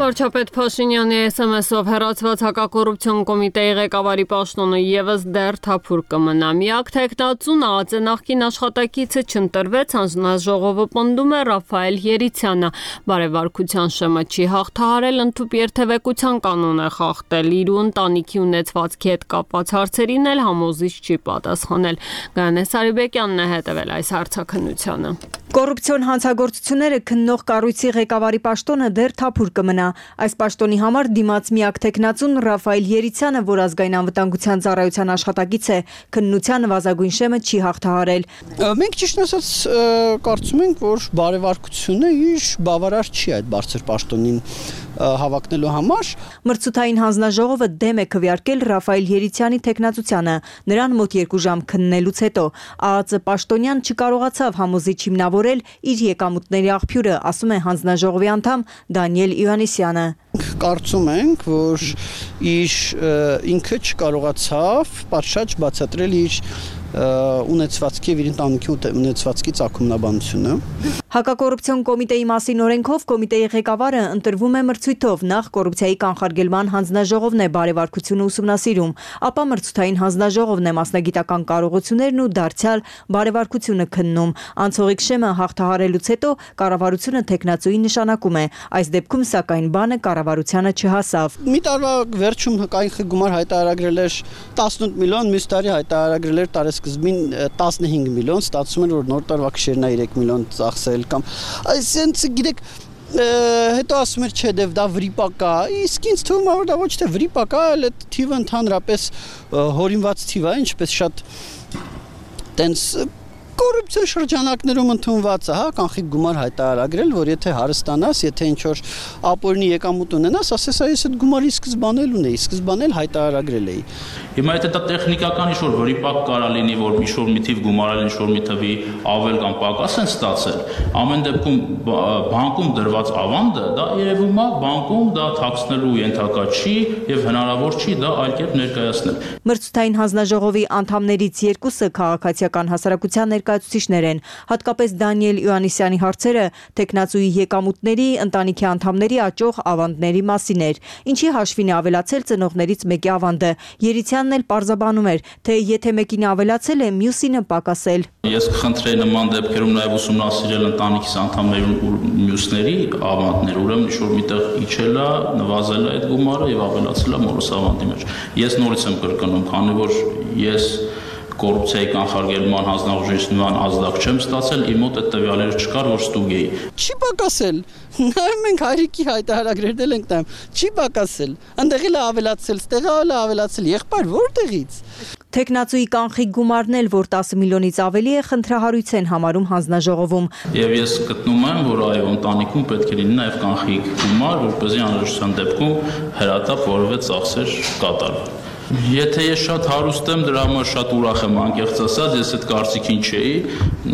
Վարչապետ Փաշինյանի SMS-ով հեռացված հակակոռուպցիոն կոմիտեի ղեկավարի պաշտոնը եւս դեռ թափուր կմնա։ Միակ թեկնածուն ԱԱԾ նախկին աշխատակիցը չընտրվեց, հանձնաժողովը պնդում է Ռաֆայել Երիցյանը։ Բարեվարկության շեմը չի հաղթահարել, ընդհանուր երթևեկության կանոն է խախտել, իր ու ընտանիքի ունեցվածքի հետ կապված հարցերին էլ համոզիչ չի պատասխանել։ Գայանե Սարիբեկյանն է հետևել այս հարցաքննությանը։ Կոռուպցիոն հանցագործությունները քննող կառույցի ղեկավարի պաշտոնը դեռ թափուր կմնա։ Այս պաշտոնի համար դիմաց միակ թեկնածուն Ռաֆայել Երիցյանը, որ ազգային անվտանգության ծառայության աշխատակից է, քննության նվազագույն շեմը չի հաղթահարել։ Մենք ճիշտ ասած կարծում ենք, որ բարեվարկությունը իր բավարար չի այդ բարձր պաշտոնին հավակնելու համար։ Մրցութային հանձնաժողովը դեմ է քվեարկել Ռաֆայել Երիցյանի թեկնածությանը, նրան մոտ 2 ժամ քննելուց հետո։ ԱԱԾ պաշտոնյան չկարողացավ համոզիչ հիմնավորել իր եկամուտների աղբյուրը, ասում է հանձնաժողովի անդամ Դանիել Իվանեսյանը։ Կարծում ենք, որ ինքը չկարողացավ պատշաճ բացատրել իր ունեցվածքի եւ իր ընտանիքի ունեցվածքի ծագումնաբանությունը։ Հակակոռուպցիոն կոմիտեի մասին օրենքով կոմիտեի ղեկավարը ընտրվում է մրցույթով, նախ կոռուպցիայի կանխարգելման հանձնաժողովն է բարեվարկությունը ուսումնասիրում, ապա մրցութային հանձնաժողովն է մասնագիտական կարողություններն ու դարձյալ բարեվարկությունը քննում։ Անցողիկ շեմը հաղթահարելուց հետո կառավարությունը թեկնածուի նշանակում է, այս դեպքում սակայն բանը կառավարությանը չհասավ։ Մի տարվա վերջում կանխիկ գումար հայտարարել էր 18 միլիոն, մյուս տարի հայտարարել էր տարեսկզբին 15 միլիոն, ստացվում էր, որ նոր տարվա քշերն 3 միլիոն ծախսել կամ այսինքն գիտեք հետո ասում էր չէ դա վրիպակա, իսկ ինձ թվում է որ դա ոչ թե վրիպակա, այլ այդ թիվը ընդհանրապես հորինված թիվ է, ինչպես շատ տենց կոռուպցիոն շրջանակներում ընդունված է, հա, կանխիկ գումար հայտարարել, որ եթե հարստանաս, եթե ինչ-որ ապօրինի եկամուտ ունենաս, ասես այս այդ գումարի սկզբանել ունեի, սկզբանել հայտարարել էի։ Հիմա եթե դա տեխնիկական ինչ-որ վրիպակ կարա լինի, որ ինչ-որ մի թիվ գումարել, ինչ-որ մի թվի ավել կամ պակաս են ստացել, ամեն դեպքում բանկում դրված ավանդը, դա երևում է բանկում դա թաքցնելու ենթակա չի եւ հնարավոր չի դա այլ կերպ ներկայացնել։ Մրցութային հանձնաժողովի անդամներից 2-ը քաղաքացիական հասարակության ներկայացուցիչներ են, հատկապես Դանիել Իվանեսյանի հարցերը թեկնածուի եկամուտների, ընտանիքի անդամների աճող ավանդների մասին էր, ինչի հաշվին է ավելացել ծնողներից մեկի ավանդը։ Երիցյանն էլ պարզաբանում էր, թե եթե մեկին ավելացել է, մյուսինը պակասել։ Ես կխնդրեի նման դեպքերում նաև ուսումնասիրել ընտանիքիս անդամների ու մյուսների ավանդներ, ուրեմն ինչ-որ միտեղ իջել է, նվազել է այդ գումարը եւ ավելացել է մորս ավանդի մեջ։ Ես նորից եմ կրկնում, քանի որ ես կոռուպցիայի կանխարգելման հանձնաժողովից նման ազդակ չեմ ստացել, իմ մոտ այդ տվյալները չկար, որ ստուգեի։ Չի պակասել։ Նայում ենք հայրիկի հայտարարել ենք տամ, չի պակասել։ Այնտեղ էլ ավելացել, ստեղ էլ ավելացել, եղբայր որտեղից։ Թեկնածուի կանխիկ գումարն էլ, որ 10 միլիոնից ավելի է, խնդրահարույց են համարում հանձնաժողովում։ Եվ ես գտնում եմ, որ այո, ընտանիքում պետք է լինի նաև կանխիկ գումար, որպեսզի անհրաժեշտության դեպքում հրատապ որևէ ծախսեր կատարվի։ Եթե ես շատ հարուստ եմ, դրա համար շատ ուրախ եմ, անկեղծ ասած, ես այդ կարծիքին չէի,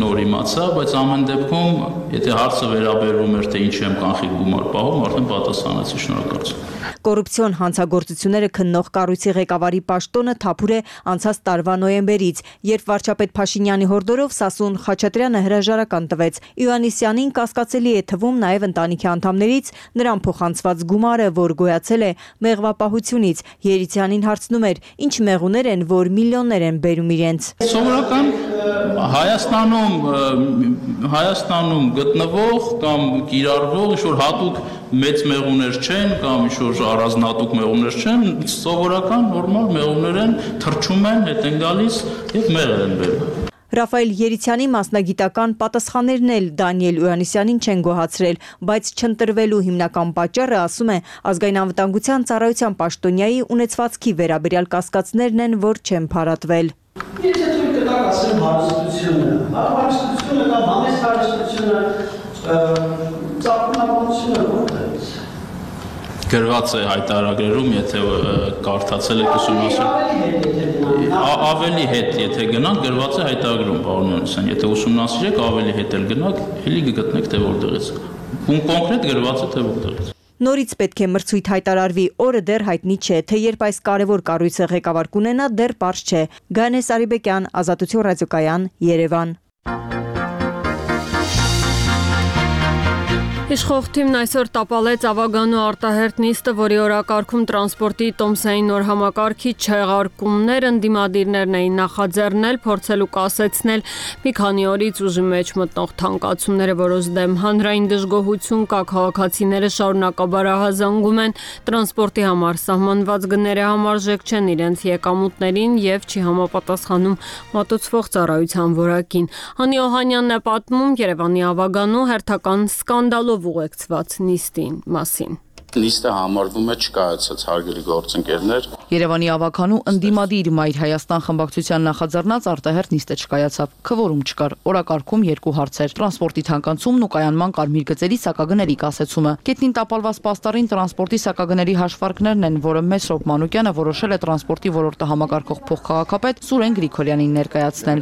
նոր իմացա, բայց ամեն դեպքում, եթե հարցը վերաբերվում էր, թե ինչ եմ կանխիկ գումար պահում, արդեն պատասխանեցի, շնորհակալություն։ Կոռուպցիոն հանցագործությունները քննող կառույցի ղեկավարի պաշտոնը թափուր է անցած տարվա նոյեմբերից, երբ վարչապետ Փաշինյանի հորդորով Սասուն Խաչատրյանը հրաժարական տվեց։ Իվանեսյանին կասկածելի է թվում նաև ընտանիքի անդամներից նրան փոխանցված գումարը, որ գոյացել է մեղվապահությունից։ Երիցյանին հարցնում էր, ինչ մեղուներ են, որ միլիոններ են բերում իրենց։ Սովորական Հայաստանում գտնվող կամ կիրառվող ինչ-որ հատուկ մեծ մեղուներ չեն կամ ինչ-որ առանձնահատուկ մեղուներ չեն, սովորական նորմալ մեղուներ են, թռչում են, հետ են գալիս եւ մեղր են բերում։ Ռաֆայել Երիցյանի մասնագիտական պատասխաններն էլ Դանիել Իոաննիսյանին չեն գոհացրել, բայց չընտրվելու հիմնական պատճառը, ասում է, ազգային անվտանգության ծառայության պաշտոնյայի ունեցվածքի վերաբերյալ կասկածներն են, որ չեն փարատվել։ Եթե թույլ կտակ ասեմ հարստությունը, հարստությունը կամ համեստ հարստությունը, ծաղկունավորությունը որտեղից։ Գրված է հայտարարագրերում, եթե կարդացել եք ուսումնասիրել, ավելի հետ, եթե գնանք, գրված է հայտարարագրում, պարոն Իոաննիսյան, եթե ուսումնասիրեք, ավելի հետ էլ գնանք, էլի կգտնեք, թե որտեղից։ Կոնկրետ գրված է, թե որտեղից։ Նորից պետք է մրցույթ հայտարարվի, օրը դեռ հայտնի չէ, թե երբ այս կարևոր կառույցը ղեկավար կունենա, դեռ պարզ չէ։ Գայանե Սարիբեկյան, Ազատություն ռադիոկայան, Երևան։ Իշխող թիմն այսօր տապալեց Ավագանու արտահերթ նիստը, որի օրակարգում տրանսպորտի տոմսային նոր համակարգի չեղարկումներ ընդդիմադիրներն էին նախաձեռնել, փորձելու կասեցնել մի քանի օրից ուժի մեջ մտնող թանկացումները, որոնց դեմ հանրային դժգոհություն կա, քաղաքացիները շարունակաբար ահազանգում են տրանսպորտի համար սահմանված գները համարժեք չեն իրենց եկամուտներին եւ չի համապատասխանում մատուցվող ծառայության որակին։ Հանի Օհանյանն է պատմում Երևանի Ավագանու հերթական սկանդալով ուղեկցված նիստի մասին։ Նիստը համարվում է չկայացած, հարգելի գործընկերներ։ Երևանի Ավագանու ընդդիմադիր Մայր Հայաստան խմբակցության նախաձեռնած արտահերթ նիստը չկայացավ, քվորում չկար, օրակարգում երկու հարցեր՝ տրանսպորտի թանկացումն ու կայանման կարմիր գծերի սակագների կասեցումը։ Գետնին տապալված պաստառին տրանսպորտի սակագների հաշվարկներն են, որը Մեսրոպ Մանուկյանը որոշել է տրանսպորտի ոլորտը համակարգող փոխքաղաքապետ Սուրեն Գրիգորյանին ներկայացնել։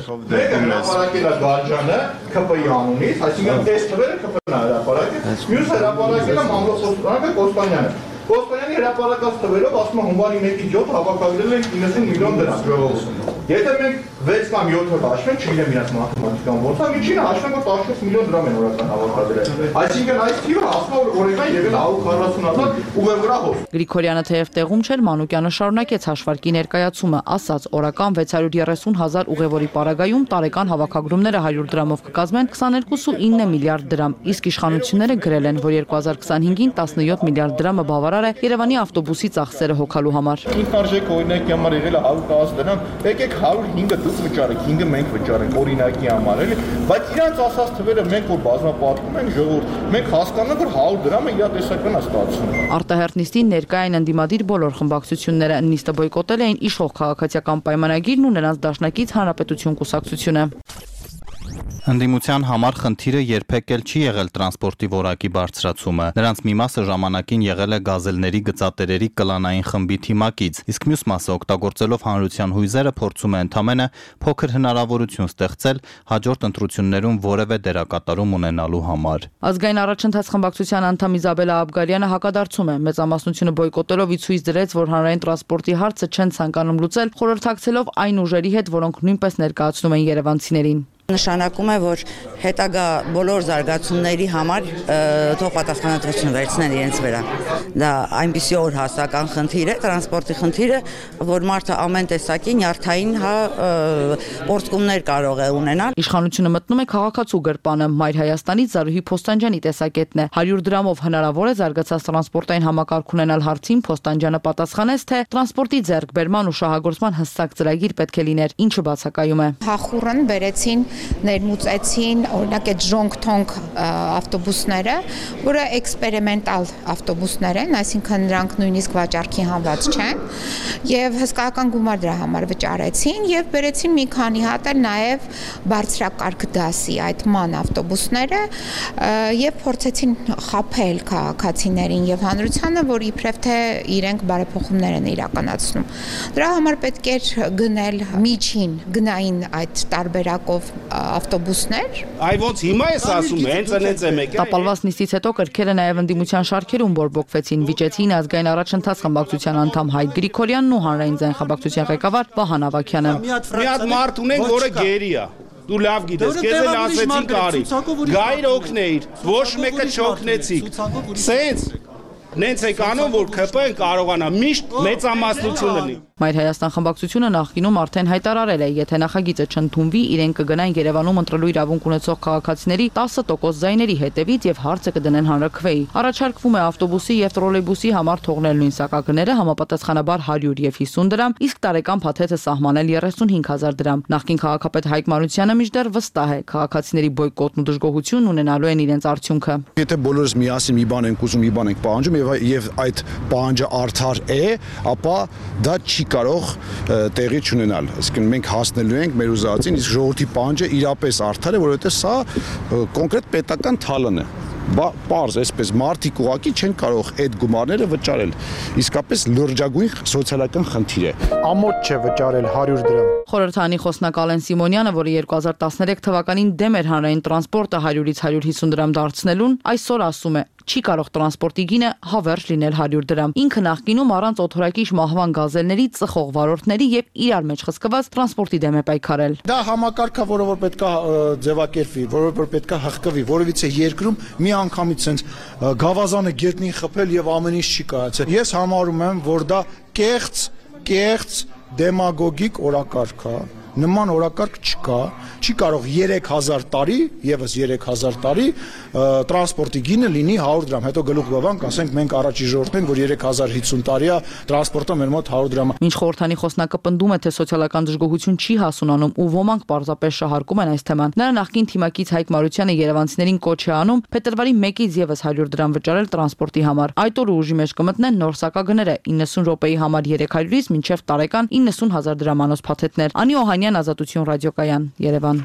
ԿՊ-ի անունից, այսինքն այս թվերը ԿՊ-ն է հրապարակել, մյուս հրապարակելը մամլոքոստնանը Կոստանյանը։ Կոստանյանի հրապարակած թվերով ասում է հունվարի 1-ի 7 հավաքագրել են 90 միլիոն դրամ ժողովուրդը։ Եթե մենք 6 կամ 7 հաշվենք, չգիտեմ իրաց մաթեմատիկան ո՞նց է, միջինը հաշվենք որ 17 միլիոն դրամ են օրական հավաքագրել։ Այսինքն այս թիվը ասում է որ օրական եղել 140,000 ուղևորահոս։ Գրիգորյանը թեև տեղում չէր, Մանուկյանը շարունակեց հաշվարկի ներկայացումը, ասաց օրական 630,000 ուղևորի պարագայում տարեկան հավաքագրումները 100 դրամով կկազմեն 22.9 միլիարդ դրամ, իսկ իշխանությունները գրել են, որ 2025-ին 17 միլիարդ դրամը բավարար է Երևանի ավտոբուսի ծախսերը հոգալու համար։ Ինքնարժեք օրինակի համար եղել է 110 դրամ, եկեք 105-ը դուք վճարեք, 5-ը մենք վճարենք օրինակի համար, էլի, բայց իրանց ասած թվերը մենք որ բազմապատկում ենք ժողովուրդ, մենք հասկանում ենք որ 100 դրամը իրատեսական է ստացվում։ Արտահերթ նիստին ներկա են ընդդիմադիր բոլոր խմբակցությունները, նիստը բոյկոտել էին իշխող քաղաքացիական պայմանագիրն ու նրանց դաշնակից Հանրապետություն կուսակցությունը։ Ընդդիմության համար խնդիրը երբեք էլ չի եղել տրանսպորտի որակի բարձրացումը։ Նրանց մի մասը ժամանակին եղել է գազելների գծատերերի կլանային խմբի թիմակից, իսկ մյուս մասը օգտագործելով հանրության հույզերը փորձում է ընդամենը փոքր հնարավորություն ստեղծել հաջորդ ընտրություններում որևէ դերակատարում ունենալու համար։ Ազգային առաջընթաց խմբակցության անդամ Իզաբելա Աբգարյանը հակադարձում է, մեծամասնությունը բոյկոտելով ի ցույց դրեց, որ հանրային տրանսպորտի հարցը չեն ցանկանում լուծել, խորհրդակցելով այն ուժերի հետ, որոնք նույնպես ներկայացնում են երևանցիներին։ Նշանակում է, որ հետագա բոլոր զարգացումների համար թող պատասխանատվությունը վերցնեն իրենց վրա։ Դա այնպիսի օր հասական խնդիր է, տրանսպորտի խնդիրը, որ մարդը ամեն տեսակի նյարդային պորտկումներ կարող է ունենալ։ Իշխանությունը մտնում է քաղաքացու գրպանը, Մայր Հայաստանից Զարուհի Փոստանջյանի տեսակետն է։ 100 դրամով հնարավոր է զարգացած տրանսպորտային համակարգ ունենալ հարցին Փոստանջյանը պատասխանեց, թե տրանսպորտի ձեռքբերման ու շահագործման հստակ ծրագիր պետք է լիներ, ինչը բացակայում է։ Հախուռն բերեցին ներմուծեցին օրինակ այդ ժոնգ-թոնգ ավտոբուսները, որը էքսպերիմենտալ ավտոբուսներ են, այսինքն նրանք նույնիսկ վաճառքի հանված չեն, եւ հսկայական գումար դրա համար վճարեցին եւ բերեցին մի քանի հատ էլ նաեւ բարձրակարգ դասի այդ ման ավտոբուսները եւ փորձեցին խաբել քաղաքացիներին եւ հանրությանը, որ իբրև թե իրենք բարեփոխումներ են իրականացնում։ Դրա համար պետք էր գնել միջին գնային այդ տարբերակով ավտոբուսներ։ Այ ոնց հիմա էս ասում, հենց այնց է մեկ։ Տապալված նիստից հետո կրքերը նաև ընդդիմության շարքերում բորբոքվեցին, վիճեցին ազգային առաջընթաց խմբակցության անդամ Հայկ Գրիգորյանն ու հանրային ձայն խմբակցության ղեկավար Վահան Ավագյանը։ Մի հատ մարդ ունենք, որը գերի է։ Դու լավ գիտես, քեզ էլ ասեցին կարի։ Գայր օգնեիր, ոչ մեկը չօգնեցիք։ Սենց նենց եք անում, որ ԿՊ-ն կարողանա միշտ մեծամասնություն լինի։ Մայր Հայաստան խմբակցությունը նախկինում արդեն հայտարարել է, եթե նախագիծը չընդունվի, իրենք կգնային Երևանում ընտրելու իրավունք ունեցող քաղաքացիների 10% ձայների հետևից եւ հարցը կդնեն հանրաքվեի։ Առաջարկվում է ավտոբուսի եւ տրոլեյբուսի համար թողնել նույն սակագները համապատասխանաբար 100 եւ 50 դրամ, իսկ տարեկան փաթեթը սահմանել 35000 դրամ։ Նախկին քաղաքապետ Հայկ Մարությանը մինչդեռ վստահ է, քաղաքացիների բոյկոտն ու դժգոհությունն ունենալու են իրենց արդյունքը։ Եթե բոլորս միասին մի բան ենք ուզում, մի բան ենք պահանջում եւ այդ պահանջը արդար է, ապա դա չի կարող տեղի չունենալ։ Այսինքն մենք հասնելու ենք մեր ուզածին, իսկ ժողովրդի պահանջը իրապես արդար է, որովհետեւ սա կոնկրետ պետական թալան է։ Պարզ, այսպես մարդիկ ուղակի չեն կարող այդ գումարները վճարել։ Իսկապես լրջագույն սոցիալական խնդիր է։ Ամոթ չէ վճարել 100 դրամ։ Խորհրդանի խոսնակ Ալեն Սիմոնյանը, որը 2013 թվականին դեմ էր հանրային տրանսպորտը 100-ից 150 դրամ դարձնելուն, այսօր ասում է, չի կարող տրանսպորտի գինը հավերժ լինել 100 դրամ։ Ինքը նախկինում առանց օթորակիչ մահվան գազելների, ծխող վարորդների եւ իրար մեջ խցկված տրանսպորտի դեմ է պայքարել։ Դա համակարգ է, որը որ պետքա ձևակերպվի, որը որ պետքա հղկվի, որովհետեւ երկրում մի անգամից sense գավազանը գետնին խփել եւ ամեն ինչ չի կայացել։ Ես համարում եմ, որ դա կեղծ դեմագոգիկ օրակարգ է։ Նման օրակարգ չկա, չի կարող 3000 տարի, եւս 3000 տարի տրանսպորտի գինը լինի 100 դրամ, հետո գլուխ բավանք, ասենք մենք առաջի ժողովուրդն ենք, որ 3050 տարի է տրանսպորտը մեր մոտ 100 դրամ։ Մինչ խորհրդանի խոսնակը պնդում է, թե սոցիալական դժգոհություն չի հասունանում ու ոմանք պարզապես շահարկում են այս թեման։ Նրա նախկին թիմակից Հայկ Մարությանը երևանցիներին կոչ է անում փետրվարի 1-ից եւս 100 դրամ վճարել տրանսպորտի համար։ Այդ օրը ուժի մեջ կմտնեն նոր սակագները 90 րոպեի համար 300-ից մինչև տարեկան 90000 դրամանոց փաթեթներ։ Անի Օհանյան, Ազատություն ռադիոկայան, Երևան։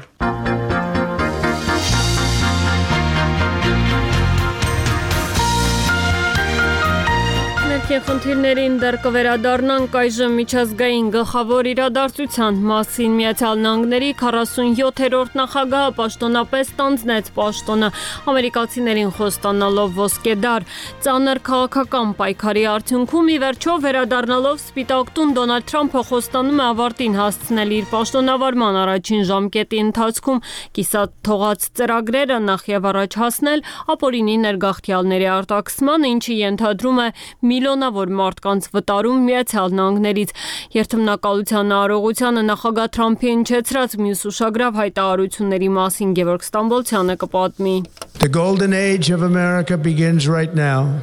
Խնդիրներին դեռ կվերադառնանք այժմ միջազգային գլխավոր իրադարձության մասին։ Միացյալ Նահանգների 47-րդ նախագահը պաշտոնապես ստանձնեց պաշտոնը, ամերիկացիներին խոստանալով ոսկեդար։ Ծանր քաղաքական պայքարի արդյունքում ի վերջո վերադառնալով Սպիտակ տուն Դոնալդ Թրամփը խոստանում է ավարտին հասցնել իր պաշտոնավարման առաջին ժամկետի ընթացքում կիսատ թողած ծրագրերը նախ եւ առաջ հասնել ապօրինի ներգաղթյալների արտաքսման, ինչը ենթադրում է միլիոնավոր մարդկանց վտարում Միացյալ Նահանգներից։ Երթմնակալության արարողությանը նախագահ Թրամփի հնչեցրած մյուս ուշագրավ հայտարարությունների մասին Գևորգ Ստամբոլցյանը կպատմի։ The golden age of America begins right now.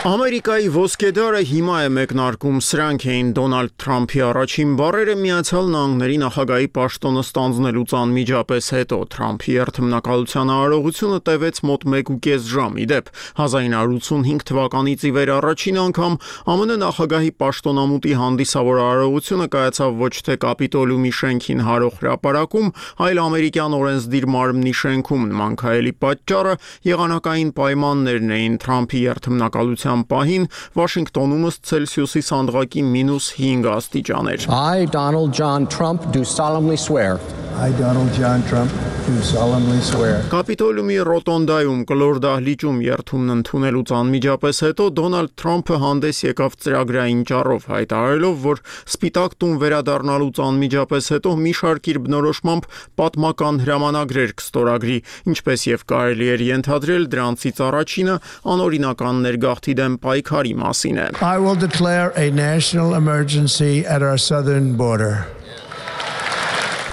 Ամերիկայի ոսկեդարը հիմա է մեկնարկում, սրանք էին Դոնալդ Թրամփի առաջին բառերը Միացյալ Նահանգների նախագահի պաշտոնը ստանձնելուց անմիջապես հետո։ Թրամփի երթմնակալության արարողությունը տևեց մոտ 1.5 ժամ։ Իդեպ 1985 թվականից ի վեր առաջին անգամ ԱՄՆ նախագահի պաշտոնամուտի հանդիսավոր արարողությունը կայացավ ոչ թե Կապիտոլիումի շենքին հարող հրապարակում, այլ ամերիկյան օրենսդիր մարմնի շենքում։ Նման քայլի պատճառը եղանակային պայմաններն էին։ Թրամփի երթմնակալության պահին Վաշինգտոնում Ցելսիուսի սանդղակի -5 աստիճան էր։ I, Donald John Trump, do solemnly swear. I, Donald John Trump, do solemnly swear. Կապիտոլիումի ռոտոնդայում կլոր դահլիճում երթումն ընդունելուց անմիջապես հետո Դոնալդ Թրամփը հանդես եկավ ծրագրային ճառով, հայտարարելով, որ Սպիտակ տուն վերադառնալուց անմիջապես հետո մի շարք իր բնորոշմամբ պատմական հրամանագրեր կստորագրի, ինչպես եւ կարելի էր ենթադրել, դրանցից առաջինը անօրինական ներգաղթի դեմ պայքարի մասին է։ I will declare a national emergency at our southern border.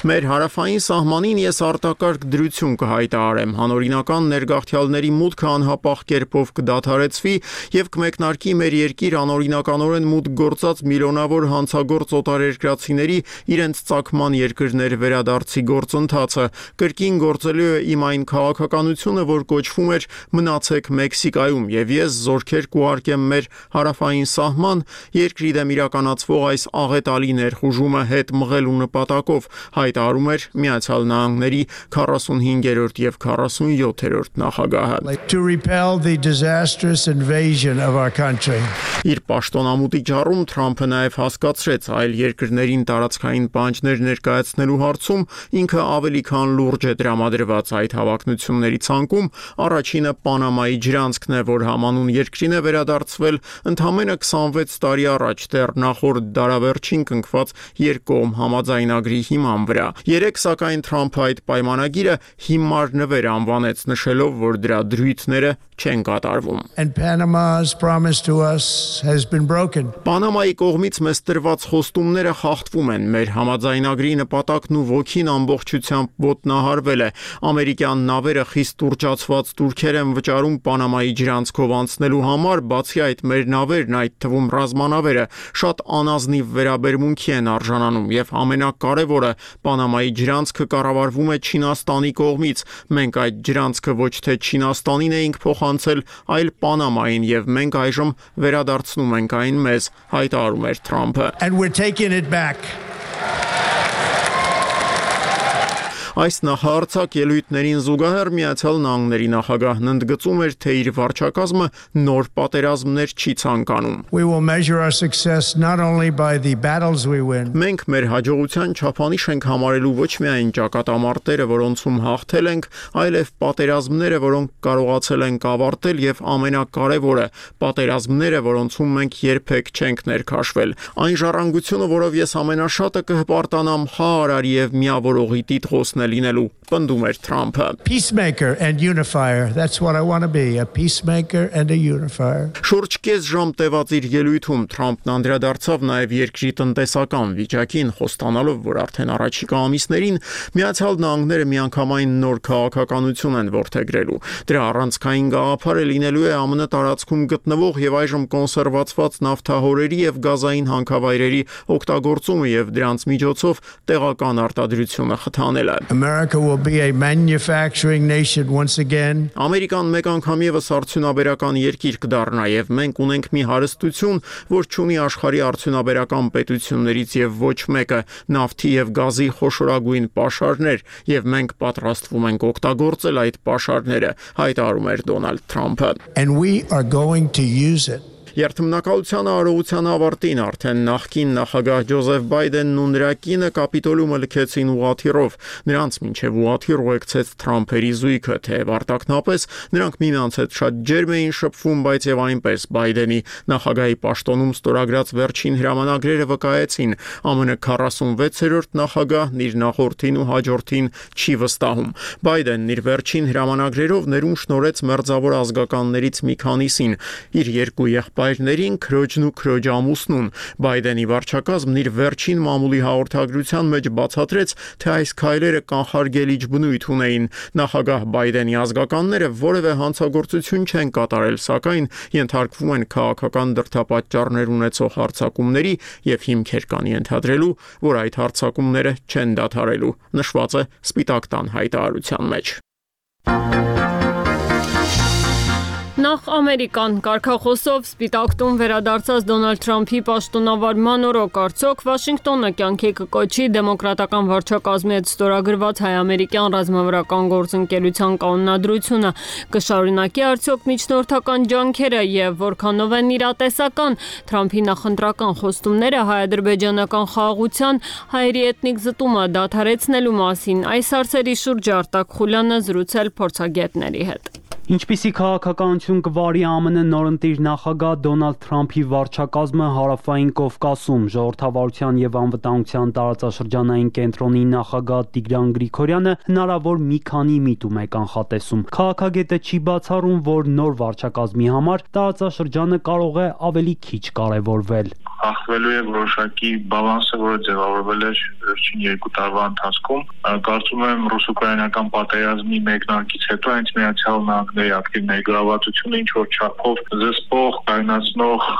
Մեր հարավային սահմանին ես արտակարգ դրություն կհայտարարեմ, հանօրինական ներգաղթյալների մուտքը անհապաղ կերպով կդադարեցվի եւ կմեկնարկի մեր երկիր անօրինականորեն մուտք գործած միլիոնավոր հանցագործ օտարերկրացիների իրենց ծագման երկրներ վերադարձի գործընթացը։ Կրկին գործելու է իմ այն քաղաքականությունը, որ կոչվում էր մնացեք Մեքսիկայում, եւ ես զորքեր կուղարկեմ մեր հարավային սահման երկրի դեմ իրականացվող այս աղետալի ներխուժումը հետ մղելու նպատակով, հայտարարում էր Միացյալ Նահանգների 45-րդ եւ 47-րդ նախագահը։ To repel the disastrous invasion of our country. Իր պաշտոնամուտի ճառում Թրամփը նաեւ հասկացրեց այլ երկրներին տարածքային պահանջներ ներկայացնելու հարցում ինքը ավելի քան լուրջ է տրամադրված այդ հավակնությունների ցանկում։ Առաջինը Պանամայի ջրանցքն է, որ համանուն երկրին է վերադարձվել ընդամենը 26 տարի առաջ, դեռ նախորդ դարավերջին կնքված երկկողմ համաձայնագրի հիման վրա։ վրա։ Երեք սակայն Թրամփը այդ պայմանագիրը հիմար նվեր անվանեց, նշելով, որ դրա դրույթները չեն կատարվում։ And Panama's promise to us has been broken. Պանամայի կողմից մեզ տրված խոստումները խախտվում են։ Մեր համաձայնագրի նպատակն ու ոգին ամբողջությամբ ոտնահարվել է։ Ամերիկյան նավերը խիստ ուռճացված տուրքեր են վճարում Պանամայի ջրանցքով անցնելու համար, բացի այդ մեր նավերն, այդ թվում ռազմանավերը, շատ անազնիվ վերաբերմունքի են արժանանում եւ ամենակարևորը, Պանամայի ջրանցքը կառավարվում է Չինաստանի կողմից։ Մենք այդ ջրանցքը ոչ թե Չինաստանին էինք փոխանցել, այլ Պանամային եւ մենք այժմ վերադարձնում ենք այն մեզ, հայտարարում էր Թրամփը։ And we're taking it back. Այս նախարարցակ ելույթներին զուգահեռ Միացյալ Նահանգների նախագահն ընդգծում էր, թե իր վարչակազմը նոր պատերազմներ չի ցանկանում։ We will measure our success not only by the battles we win. Մենք մեր հաջողության չափանիշ ենք համարելու ոչ միայն ճակատամարտերը, որոնցում հաղթել ենք, այլև պատերազմները, որոնք կարողացել ենք ավարտել եւ ամենակարևորը, պատերազմները, որոնցում մենք երբեք չենք ներքաշվել։ Այն ժառանգությունը, որով ես ամենաշատը կհպարտանամ, խաղարար եւ միավորողի տիտղոսն լինելու, պնդում էր Թրամփը։ Peacemaker and unifier. That's what I want to be, a peacemaker and a unifier. Շուրջ կես ժամ տևած իր ելույթում Թրամփն անդրադարձավ նաև երկրի տնտեսական վիճակին, խոստանալով, որ արդեն առաջիկա ամիսներին Միացյալ Նահանգները միանգամայն նոր քաղաքականություն են որդեգրելու։ Դրա առանցքային գաղափարը լինելու է ԱՄՆ տարածքում գտնվող եւ այժմ կոնսերվացված նավթահորերի եւ գազային հանքավայրերի օգտագործումը եւ դրանց միջոցով տեղական արտադրությունը խթանելը։ America will be a manufacturing nation once again. Ամերիկան մեկ անգամ եւս արդյունաբերական երկիր կդառնա եւ մենք ունենք մի հարստություն, որ չունի աշխարհի արդյունաբերական պետություններից եւ ոչ մեկը՝ նավթի եւ գազի խոշորագույն պաշարներ, եւ մենք պատրաստվում ենք օգտագործել այդ պաշարները, հայտարարում էր Դոնալդ Թրամփը։ And we are going to use it. Երթմնակալության արարողության ավարտին արդեն նախկին նախագահ Ջոզեֆ Բայդենն ու նրա կինը կապիտոլիումը լքեցին ուղղաթիռով։ Նրանց մինչև ուղղաթիռ ուղեկցեց Թրամփերի զույգը, թեև արտաքնապես նրանք միմյանց հետ շատ ջերմ էին շփվում, բայց եւ այնպես Բայդենի նախագահի պաշտոնում ստորագրած վերջին հրամանագրերը վկայեցին, ԱՄՆ 46-րդ նախագահն իր նախորդին ու հաջորդին չի վստահում։ Բայդենն իր վերջին հրամանագրերով ներում շնորհեց մերձավոր ազգականներից մի քանիսին, իր երկու եղբայրներին, քրոջն ու քրոջ ամուսնուն։ Բայդենի վարչակազմն իր վերջին մամուլի հաղորդագրության մեջ բացատրեց, թե այս քայլերը կանխարգելիչ բնույթ ունեին։ Նախագահ Բայդենի ազգականները որևէ հանցագործություն չեն կատարել, սակայն ենթարկվում են քաղաքական դրդապատճառներ ունեցող հարձակումների եւ հիմքեր կան ենթադրելու, որ այդ հարձակումները չեն դադարելու, նշված է Սպիտակ տան հայտարարության մեջ։ Նախ Ամերիկան կարգախոսով Սպիտակ տուն վերադարձած Դոնալդ Թրամփի պաշտոնավարման օրոք արդյոք Վաշինգտոնը կյանքի կկոչի դեմոկրատական վարչակազմի հետ ստորագրված հայ-ամերիկյան ռազմավարական գործընկերության կանոնադրությունը, կշարունակի արդյոք միջնորդական ջանքերը եւ որքանով են իրատեսական Թրամփի նախընտրական խոստումները հայ-ադրբեջանական խաղաղության, հայերի էթնիկ զտումը դադարեցնելու մասին։ Այս հարցերի շուրջ Արտակ Խուլյանը զրուցել փորձագետների հետ։ Ինչպիսի քաղաքականություն կվարի ԱՄՆ նորընտիր նախագահ Դոնալդ Թրամփի վարչակազմը Հարավային Կովկասում, ժողովրդավարության եւ անվտանգության տարածաշրջանային կենտրոնի նախագահ Տիգրան Գրիգորյանը հնարավոր մի քանի միտում է կանխատեսում։ Քաղաքագետը չի բացառում, որ նոր վարչակազմի համար տարածաշրջանը կարող է ավելի քիչ կարևորվել։ Ախվելու է որոշակի բալանսը, որը ձևավորվել է վերջին 2 տարվա ընթացքում։ Կարծում եմ ռուս-ուկրաինական պատերազմի մեկնարկից հետո հենց Միացյալ Նահանգների ակտիվ ներգրավվածությունը ինչ որ չափով զսպող, կայունացնող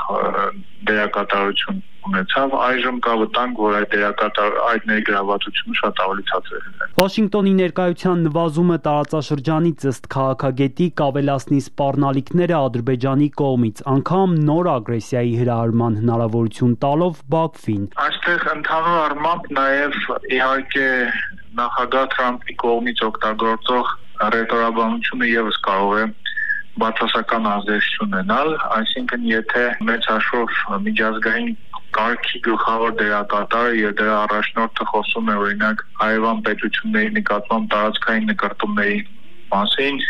դերակատարություն ունեցավ, այժմ կա վտանգ, որ այդ ներգրավվածությունը շատ ավելի ցածր է։ Վաշինգտոնի ներկայության նվազումը տարածաշրջանից ըստ քաղաքագետի կավելացնի սպառնալիքները Ադրբեջանի կողմից, անգամ նոր ագրեսիայի հրահրման հնարավորություն տալով Բաքվին։ Այստեղ ընդհանուր առմամբ նաև իհարկե նախագահ Թրամփի կողմից օգտագործող ռետորաբանությունը եւս կարող է բացասական ազդեցություն ունենալ, այսինքն եթե մեծ հաշվով միջազգային կարգի գլխավոր դերակատարը եւ դրա առաջնորդը խոսում է օրինակ հայևան պետությունների նկատմամբ տարածքային նկարտումների մասին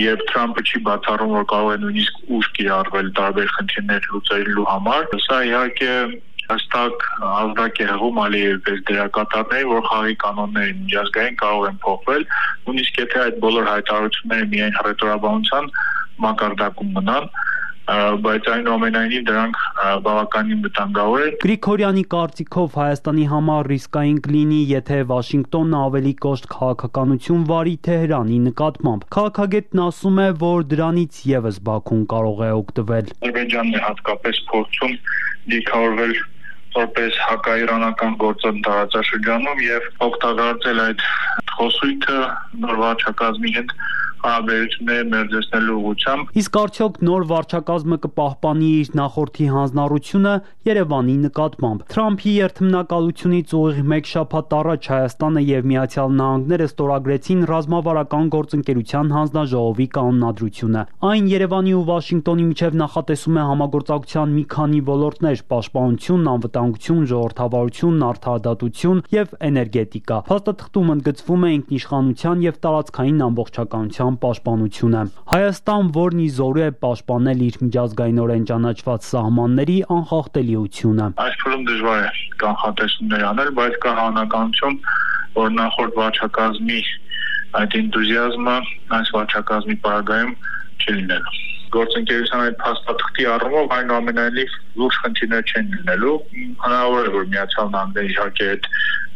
եւ Թրամփը չի բացառում, որ կարող է նույնիսկ ուժ կիրառվել տարբեր խնդիրներ լուծելու համար, սա իհարկե հստակ ազդակ է հղում Ալիևի պես դերակատարների, որ խաղի կանոնները միջազգային կարող են փոխվել, նույնիսկ եթե այդ բոլոր հայտարարությունները միայն հռետորաբանության մակարդակում մնան, բայց այնուամենայնիվ դրանք բավականին վտանգավոր են։ Գրիգորյանի կարծիքով Հայաստանի համար ռիսկային կլինի, եթե Վաշինգտոնն ավելի կոշտ քաղաքականություն վարի Թեհրանի նկատմամբ։ Քաղաքագետն ասում է, որ դրանից եւս Բաքուն կարող է օգտվել։ Ադրբեջանն է հատկապես փորձում դիրքավորվել որպես հակաիրանական գործոն տարածաշրջանում եւ օգտագործել այդ խոսույթը նոր վարչակազմի հետ հարաբերությունները մերձեցնելու ուղղությամբ։ Իսկ արդյոք նոր վարչակազմը կպահպանի իր նախորդի հանձնառությունը Երևանի նկատմամբ։ Թրամփի երթմնակալությունից ուղիղ մեկ շաբաթ առաջ Հայաստանը եւ Միացյալ Նահանգները ստորագրեցին ռազմավարական գործընկերության հանձնաժողովի կանոնադրությունը։ Այն Երևանի ու Վաշինգտոնի միջև նախատեսում է համագործակցության մի քանի ոլորտներ՝ պաշտպանություն, անվտանգություն, ժողովրդավարություն, արդարադատություն եւ էներգետիկա։ Փաստաթղթում ընդգծվում է ինքնիշխանության եւ տարածքային ամբողջականության պաշտպանությունը։ Հայաստան, որն ի զորու է պաշտպանել իր միջազգայինորեն ճանաչված սահմանների անխախտելիությունը։ Այս փուլում դժվար է կանխատեսումներ անել, բայց կա հավանականություն, որ նախորդ վարչակազմի այդ էնտուզիազմը այս վարչակազմի պարագայում չլինելու։ Գործընկերության այդ փաստաթղթի առումով այնուամենայնիվ լուրջ խնդիրներ չեն լինելու։ Հնարավոր է, որ Միացյալ Նահանգները իհարկե այդ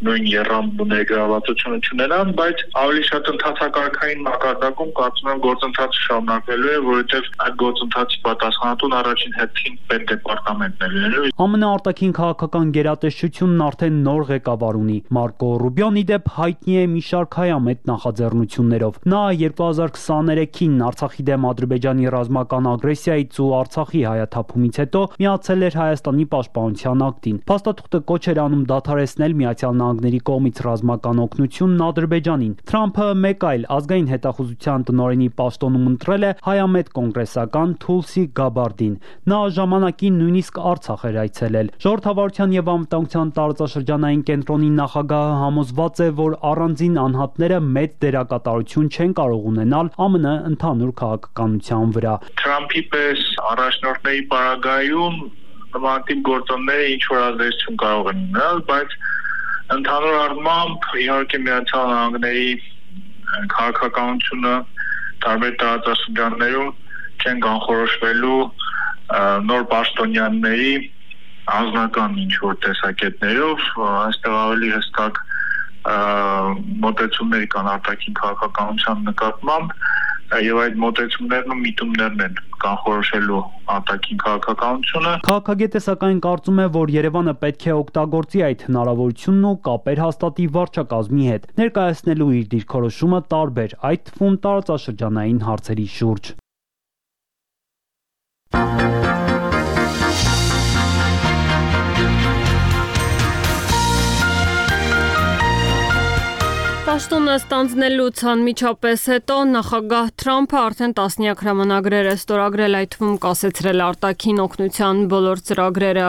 նույն երրամբու ներգրավվածությունը չունենան, բայց ավելի շատ ընդհանրակարգային մակարդակում կարծում եմ գործընթացը շարունակվելու է, որովհետև այդ գործընթացի պատասխանատուն առաջին հերթին պետդեպարտամենտն է լինելու։ ԱՄՆ արտաքին քաղաքական գերատեսչությունն արդեն նոր ղեկավար ունի։ Մարկո Ռուբիոն ի դեպ հայտնի է մի շարք հայամետ նախաձեռնություններով։ Նա 2023-ին Արցախի դեմ Ադրբեջանի ռազմական ագրեսիայից ու Արցախի հայաթափումից հետո միացել էր Հայաստանի պաշտպանության ակտին։ Փաստաթուղթը կոչ էր անում դադարեցնել Միացյալ Նահանգների կողմից ռազմական օգնությունն Ադրբեջանին։ Թրամփը մեկ այլ ազգային հետախուզության տնօրենի պաշտոնում ընտրել է հայամետ կոնգրեսական Թուլսի Գաբարդին։ Նա ժամանակին նույնիսկ Արցախ էր այցելել։ Ժողովրդավարության եւ անվտանգության տարածաշրջանային կենտրոնի նախագահը համոզված է, որ առանձին անհատները մեծ դերակատարություն չեն կարող ունենալ ԱՄՆ ընդհանուր քաղաքականության վրա։ Թրամփի պես առաջնորդների պարագայում նմանատիպ գործոնները ինչ որ ազդեցություն կարող են ունենալ, բայց ընդհանուր առմամբ իհարկե Միացյալ Նահանգների քաղաքականությունը տարբեր տարածաշրջաններում չեն կանխորոշվելու նոր պաշտոնյաների անձնական ինչ որ տեսակետներով, այստեղ ավելի հստակ մոտեցումներ կան արտաքին քաղաքականության նկատմամբ եւ այդ մոտեցումներն ու միտումներն են կանխորոշելու արտաքին քաղաքականությունը։ Քաղաքագետը սակայն կարծում է, որ Երևանը պետք է օգտագործի այդ հնարավորությունն ու կապեր հաստատի վարչակազմի հետ, ներկայացնելու իր դիրքորոշումը տարբեր, այդ թվում տարածաշրջանային հարցերի շուրջ։ Պաշտոնը ստանձնելուց անմիջապես հետո նախագահ Թրամփը արդեն տասնյակ հրամանագրեր է ստորագրել, այդ թվում կասեցրել արտաքին օգնության բոլոր ծրագրերը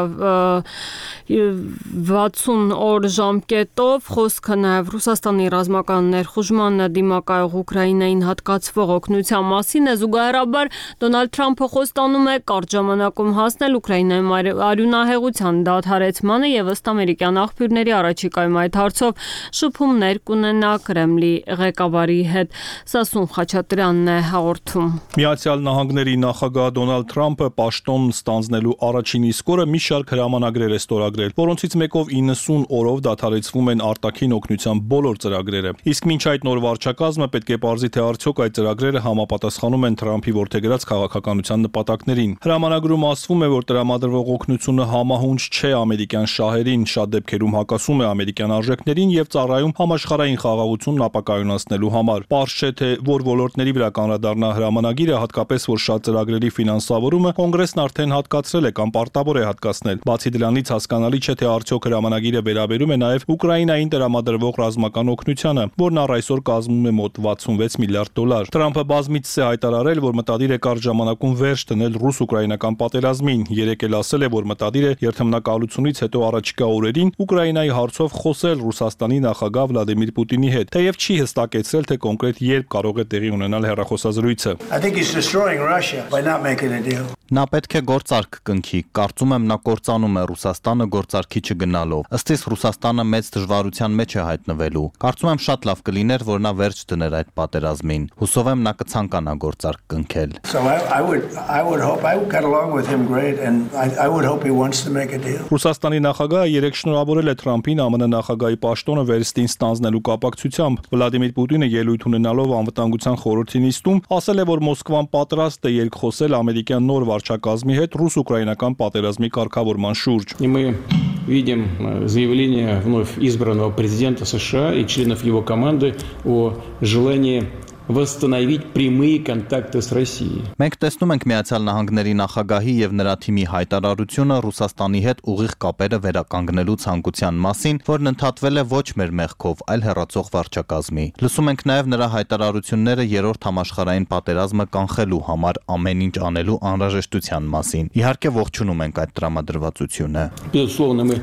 60 օր ժամկետով, խոսքը նաև Ռուսաստանի ռազմական ներխուժմանը դիմակայող Ուկրաինային հատկացվող օգնության մասին է։ Զուգահեռաբար Դոնալդ Թրամփը խոստանում է կարճ ժամանակում հասնել Ուկրաինայում արյունահեղության դադարեցմանը եւ ըստ ամերիկյան աղբյուրների առաջիկայում այդ հարցով շփումներ կունենա Կրեմլի ղեկավարի հետ։ Սասուն Խաչատրյանն է հաղորդում։ Միացյալ Նահանգների նախագահ Դոնալդ Թրամփը պաշտոն ստանձնելու առաջին իսկ օրը մի շարք հրամանագրեր է ստորագրել, որոնցից մեկով 90 օրով դադարեցվում են արտաքին օգնության բոլոր ծրագրերը։ Իսկ մինչ այդ նոր վարչակազմը պետք է պարզի, թե արդյոք այդ ծրագրերը համապատասխանում են Թրամփի որդեգրած քաղաքականության նպատակներին։ Հրամանագրում ասվում է, որ տրամադրվող օգնությունը համահունչ չէ ամերիկյան շահերին, շատ դեպքերում հակասում է ամերիկյան արժեքներին եւ ծառայում համաշխարհային խաղաղությունն ապակայունացնելու համար։ Պարզ չէ, թե որ ոլորտների վրա կանրադառնա հրամանագիրը, հատկապես որ շատ ծրագրերի ֆինանսավորումը Կոնգրեսն արդեն հատկացրել է կամ պարտավոր է հատկացնել։ Բացի դրանից հասկանալի չէ, թե արդյոք հրամանագիրը վերաբերում է նաև Ուկրաինային տրամադրվող ռազմական օգնությանը, որն առ այսօր կազմում է մոտ 66 միլիարդ դոլար։ Թրամփը բազմիցս է հայտարարել, որ մտադիր է կարճ ժամանակում վերջ դնել ռուս-ուկրաինական պատերազմին։ Երեկ էլ ասել է, որ մտադիր է երթմնակալությունից հետո առաջիկա օրերին Ուկրաինայի հարցով խոսել Ռուսաստանի նախագահ Վլադիմիր Պուտինի հետ, թեև չի հստակեցրել, թե կոնկրետ երբ կարող է տեղի ունենալ հեռախոսազրույցը։ Նա պետք է գործարք կնքի, կարծում եմ նա կործանում է Ռուսաստանը գործարքի չգնալով։ Ըստ իս Ռուսաստանը մեծ դժվարության մեջ է հայտնվելու։ Կարծում եմ շատ լավ կլիներ, որ նա վերջ դներ այդ պատերազմին։ Հուսով եմ նա կցանկանա գործարք կնքել։ Ռուսաստանի նախագահը երեկ շնորհավորել է Թրամփին ԱՄՆ նախագահի պաշտոնը վերստին ստանձնելու կապակցությամբ։ Վլադիմիր Պուտինը ելույթ ունենալով անվտանգության խորհրդի նիստում ասել է, որ Մոսկվան պատրաստ է երկխոսել ամերիկյան նոր վարչակազմի հետ ռուս-ուկրաինական պատերազմի կարգավորման շուրջ։ Видим заявление вновь избранного президента США и членов его команды о желании восстановить прямые контакты с Россией. Մենք տեսնում ենք Միացյալ Նահանգների նախագահի եւ նրա թիմի հայտարարությունը Ռուսաստանի հետ ուղիղ կապերը վերականգնելու ցանկության մասին, որն ընդհատվել է ոչ մեր մեղքով, այլ հեռացող վարչակազմի։ Լսում ենք նաեւ նրա հայտարարությունները երրորդ համաշխարհային պատերազմը կանխելու համար ամեն ինչ անելու անհրաժեշտության մասին։ Իհարկե ողջունում ենք այդ տրամադրվածությունը։ Безусловно, мы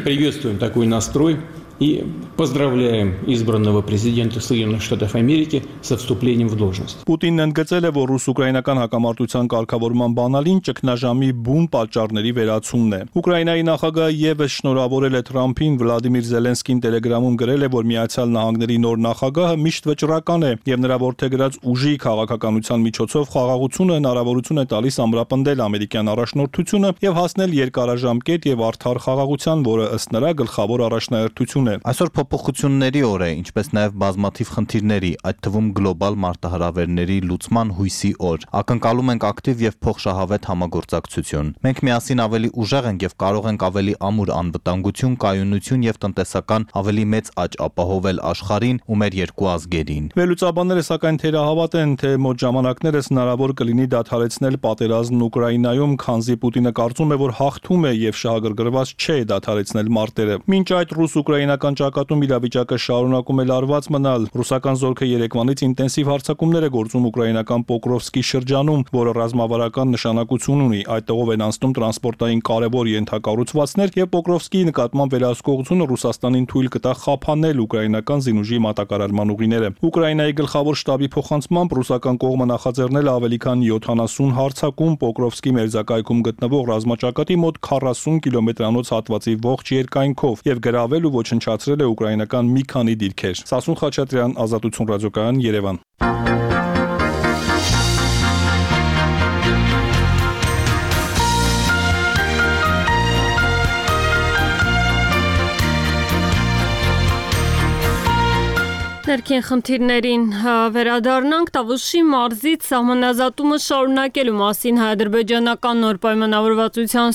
приветствуем такой настрой. И поздравляем избранного президента Соединенных Штатов Америки со вступлением в должность. Պուտինն ընդգծել է, որ ռուս-ուկրաինական հակամարտության կարգավորման բանալին ճգնաժամի բուն պատճառների վերացումն է։ Ուկրաինայի նախագահը եւս շնորհավորել է Թրամփին, Վլադիմիր Զելենսկին Տելեգրամում գրել է, որ Միացյալ Նահանգների նոր նախագահը միշտ վճռական է եւ նրա որդեգրած ուժի քաղաքականության միջոցով խաղաղությունը հնարավորություն է տալիս ամրապնդել ամերիկյան առաջնորդությունը եւ հասնել երկարաժամկետ եւ արդար խաղաղության, որը ըստ նրա գլխավոր առաջնահերթություն է։ Այսօր փոփոխությունների օր է, ինչպես նաև բազմաթիվ խնդիրների, այդ թվում գլոբալ մարտահրավերների լուծման հույսի օր։ Ակնկալում ենք ակտիվ եւ փոխշահավետ համագործակցություն։ Մենք միասին ավելի ուժեղ ենք եւ կարող ենք ավելի ամուր անվտանգություն, կայունություն եւ տնտեսական ավելի մեծ աճ ապահովել աշխարհին ու մեր երկու ազգերին։ Վերլուծաբանները սակայն թերահավատ են, թե մոտ ժամանակներս հնարավոր կլինի դադարեցնել պատերազմն Ուկրաինայում, քանզի Պուտինը կարծում է, որ հաղթում է եւ շահագրգռված չէ դադարեցնել մարտերը։ Մինչ այդ ռուս-ուկրաինական ճակատում իրավիճակը շարունակում է լարված մնալ։ Ռուսական զորքը երեկվանից ինտենսիվ հարձակումներ է գործում ուկրաինական Պոկրովսկի շրջանում, որը ռազմավարական նշանակություն ունի։ Այդտեղով են անցնում տրանսպորտային կարևոր ենթակառուցվածքներ եւ Պոկրովսկի նկատմամբ վերահսկողությունը Ռուսաստանին թույլ կտա խափանել ուկրաինական զինուժի մատակարարման ուղիները։ Ուկրաինայի գլխավոր շտաբի փոխանցմամբ ռուսական կողմը նախաձեռնել է ավելի քան 70 հարձակում Պոկրովսկի մերձակայքում գտնվող ռազմաճակատի մոտ 40 կիլոմետրանոց հատվածի ողջ երկայնքով եւ գրավել ու ոչնչացրել է ուկրաինական մի քանի դիրքեր։ Սասուն Խաչատրյան, Ազատություն ռադիոկայան, Երևան։ Ներքին խնդիրներին վերադառնանք, Տավուշի մարզից սահմանազատումը շարունակելու մասին հայ-ադրբեջանական նոր պայմանավորվածության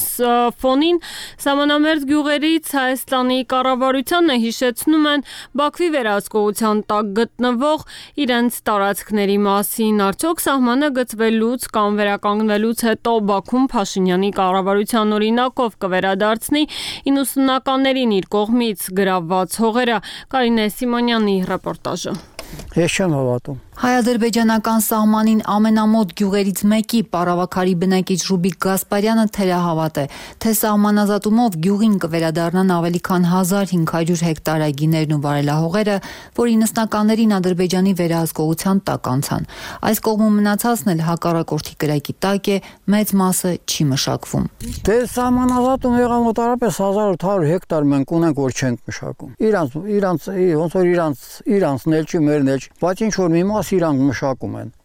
ֆոնին սահմանամերձ գյուղերից Հայաստանի կառավարությանն հիշեցնում են Բաքվի վերահսկողության տակ գտնվող իրենց տարածքների մասին։ Արդյոք սահմանը գծվելուց կամ վերականգնվելուց հետո Բաքուն Փաշինյանի կառավարության օրինակով կվերադարձնի 90-ականներին իր կողմից գրավված հողերը։ Կարինե Սիմոնյանի ռեպորտաժը։ Ես չեմ հավատում։ Հայ-ադրբեջանական սահմանին ամենամոտ գյուղերից մեկի Պարավաքարի բնակիչ Ռուբիկ Գասպարյանը թերահավատ է, թե սահմանազատումով գյուղին կվերադառնան ավելի քան 1500 հեկտար այգիներն ու վարելահողերը, որ 90-ականներին Ադրբեջանի վերահսկողության տակ անցան։ Այս կողմում մնացածն էլ հակառակորդի կրակի տակ է, մեծ մասը չի մշակվում։ Դե սահմանազատում եղավ մոտարապես 1800 հեկտար մենք ունենք, որ չենք մշակում։ Ոնց որ իրանցն էլ չի, մերն էլ չի, բայց ինչ որ մի մաս իրանք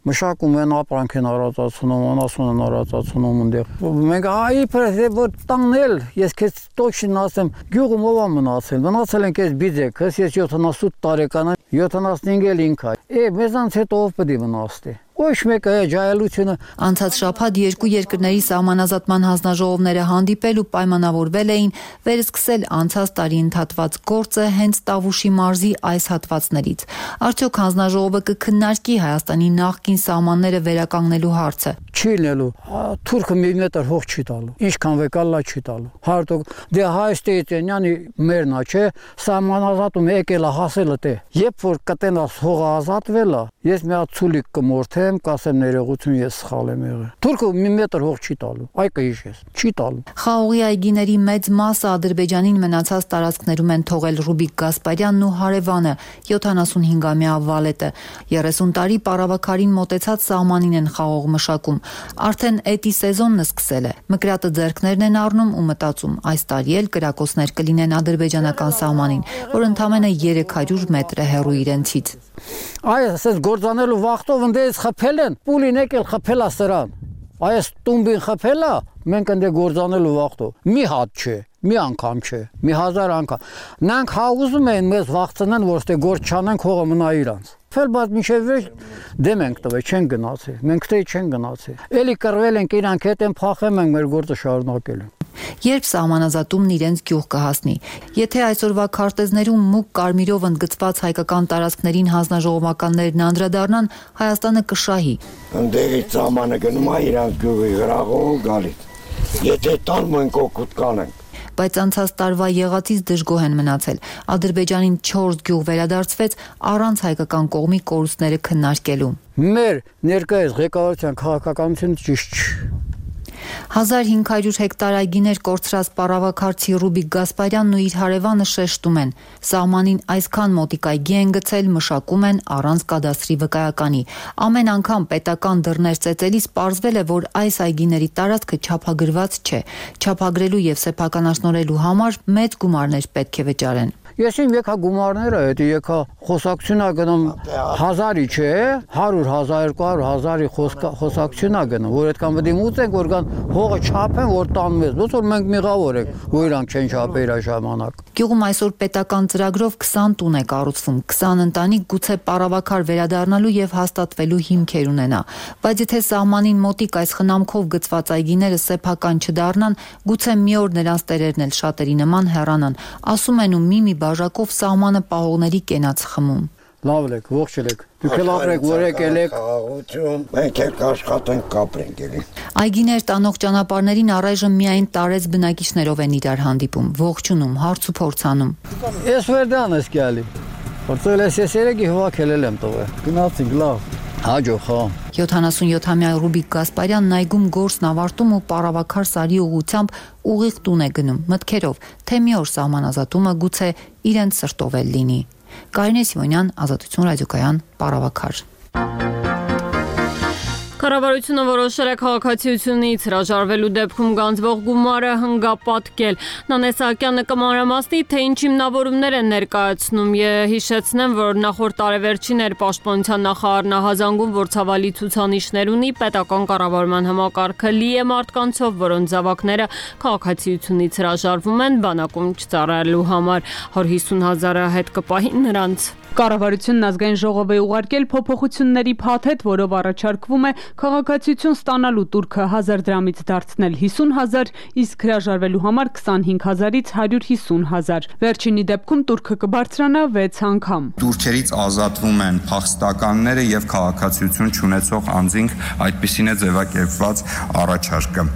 մշակում են ապրանք են առածացնում, անասուն են առածացնում ընդեղ։ Մենք իբր որ տանել, ես քեզ точно ասեմ, գյուղում ով է մնացել ենք այս բիձեքս, ես 78 տարեկան եմ, 75 էլ ինքա։ Մեզանց հետո ով պետք է վնասի։ Ոչ մեկը ջայելությունը անցած շաբաթ երկու երկրների սահմանազատման հանձնաժողովները հանդիպել ու պայմանավորվել էին վերսկսել անցած տարի ընդհատված գործը հենց Տավուշի մարզի այս հատվածներից։ Արդյոք հանձնաժողովը կքննարկի Հայաստանի նախկին սահմանները վերականգնելու հարցը։ Չի լինելու, թուրքը մի մետր հող չի տալու, ինչքան վեկալլա չի տալու։ Հարթոք դե Հայաստանյանի մերնա չէ, սահմանազատում եկել է հասել է դե։ Երբ որ կտենաս հողը ազատվել է, ես մի հատ ցուլիկ կմորթե կասեմ ներողություն, ես սխալ եմ եղել։ Թուրքը մի մետր հող չի տալու, այ կհիշես, չի տալու։ Խաղողի այգիների մեծ մասը Ադրբեջանին մնացած տարածքներում են թողել Ռուբիկ Գասպարյանն ու հարևանը 75-ամյա Վալետը։ 30 տարի պարավաքարին մոտեցած սահմանին են խաղող մշակում։ Արդեն էտի սեզոնն սկսել է։ Մկրատը ձեռքներն են առնում ու մտածում, այս տարի էլ կրակոցներ կլինեն ադրբեջանական սահմանին, որ ընդամենը 300 մետր է հեռու իրենցից։ Այս ասես գործանելու վախտով ընդերից խփել են, պուլին եկել խփելա սրան։ Այս տումբին խփելա, մենք ընդ գործանելու վախտով։ Մի հատ չէ, մի անգամ չէ, մի 1000 անգամ։ Նրանք հաղուզում են մեզ վախցնեն, որ ստե գործ չանենք, հողը մնա իրանց։ Ֆելբաց միշև դեմ ենք տվել, չեն գնացել։ Մենք թե չեն գնացել։ Էլի կռվել ենք իրանք հետ են փախեմ ենք մեր գործը շարունակելու։ Երբ սահմանազատումն իրենց գյուղ կհասնի։ Եթե այսօրվա քարտեզներում մուգ կարմիրով ընդգծված հայկական տարածքներին հանձնաժողովականներն անդրադառնան, Հայաստանը կշահի։ Ընդերից սահմանը գնում է իրանք գյուղի գրաղով գալիս։ Եթե տան մենք օգուտ կանենք։ Բայց անցած տարվա եղածից դժգոհ են մնացել։ Ադրբեջանին 4 գյուղ վերադարձվեց առանց հայկական կողմի կորուստները քննարկելու։ Մեր ներկայիս ղեկավարության քաղաքականությունը ճիշտ չէ։ 1500 հեկտար այգիներ կորցրած պարավաքարցի Ռուբիկ Գասպարյանն ու իր հարևանը շեշտում են։ Սահմանին այսքան մոտիկ այգի են գցել, մշակում են առանց կադաստրի վկայականի։ Ամեն անգամ պետական դռներ ծեծելիս պարզվել է, որ այս այգիների տարածքը չափագրված չէ։ Չափագրելու եւ սեփականաշնորհելու համար մեծ գումարներ պետք է վճարեն։ Ես իմ եկա գումարները, դա եկա խոսակցությունա գնում 1000-ի չէ, 100, 1200, 1000-ի խոսակցությունա գնում, որ այդքան պետք է մուծենք, որ կան հողը չափեն, որ տան մեզ, ոնց որ մենք միղավոր ենք, որ իրանք չեն չափել այս ժամանակ։ Գյուղում այսօր պետական ծրագրով 20 տուն է կառուցվում, 20 ընտանիք գուցե պարավաքար վերադառնալու եւ հաստատվելու հիմքեր ունենա, բայց եթե սահմանին մոտիկ այս խնամքով գծված այգիները սեփական չդառնան, գուցե մի օր նրանց տերերն էլ շատերի նման հեռանան, ասում են ու մի բաժակով սահմանը պահողների կենաց խմում։ Լավ եք, ողջ եք։ Դուք էլ ապրեք, որ եկել եք։ Մենք էլ աշխատենք, կապրենք էլի։ Այգիներ տանող ճանապարհներին առայժմ միայն տարեց բնակիչներով են իրար հանդիպում, ողջունում, հարց ու փորձ անում։ Ես վերդան ես գալի։ Որտեղ ես երեգի հովակել եմ տվել։ Գնացինք լավ։ Հաջող, հա։ 77-ամյա Ռուբիկ Գասպարյանն այգում գործն ավարտում ու պարավաքար Սարի ուղությամբ ուղիղ տուն է գնում, մտքերով, թե մի օր սահմանազատումը գուցե իրենց սրտով էլ լինի։ Կարինե Սիմոնյան, Ազատություն ռադիոկայան, Պարավաքար։ Կառավարությունը որոշել է քաղաքացիությունից հրաժարվելու դեպքում գանձվող գումարը հնգապատկել։ Նանե Սահակյանը կմանրամասնի, թե ինչ հիմնավորումներ են ներկայացնում եւ հիշեցնեմ, որ նախորդ տարեվերջին էր Պաշտպանության նախարարն ահազանգում, որ ցավալի ցուցանիշներ ունի, պետական կառավարման համակարգը լի է մարդկանցով, որոնց զավակները քաղաքացիությունից հրաժարվում են բանակում չծառայելու համար, 150,000-ը հետ կպահին նրանց։ Կառավարությունն ազգային ժողով է ուղարկել փոփոխությունների փաթեթ, որով առաջարկվում է քաղաքացիություն ստանալու տուրքը 1000 դրամից դարձնել 50,000, իսկ հրաժարվելու համար 25,000-ից 150,000։ Վերջինի դեպքում տուրքը կբարձրանա 6 անգամ։ Տուրքերից ազատվում են փախստականները եւ քաղաքացիություն չունեցող անձինք, այդպիսին է ձևակերպված առաջարկը։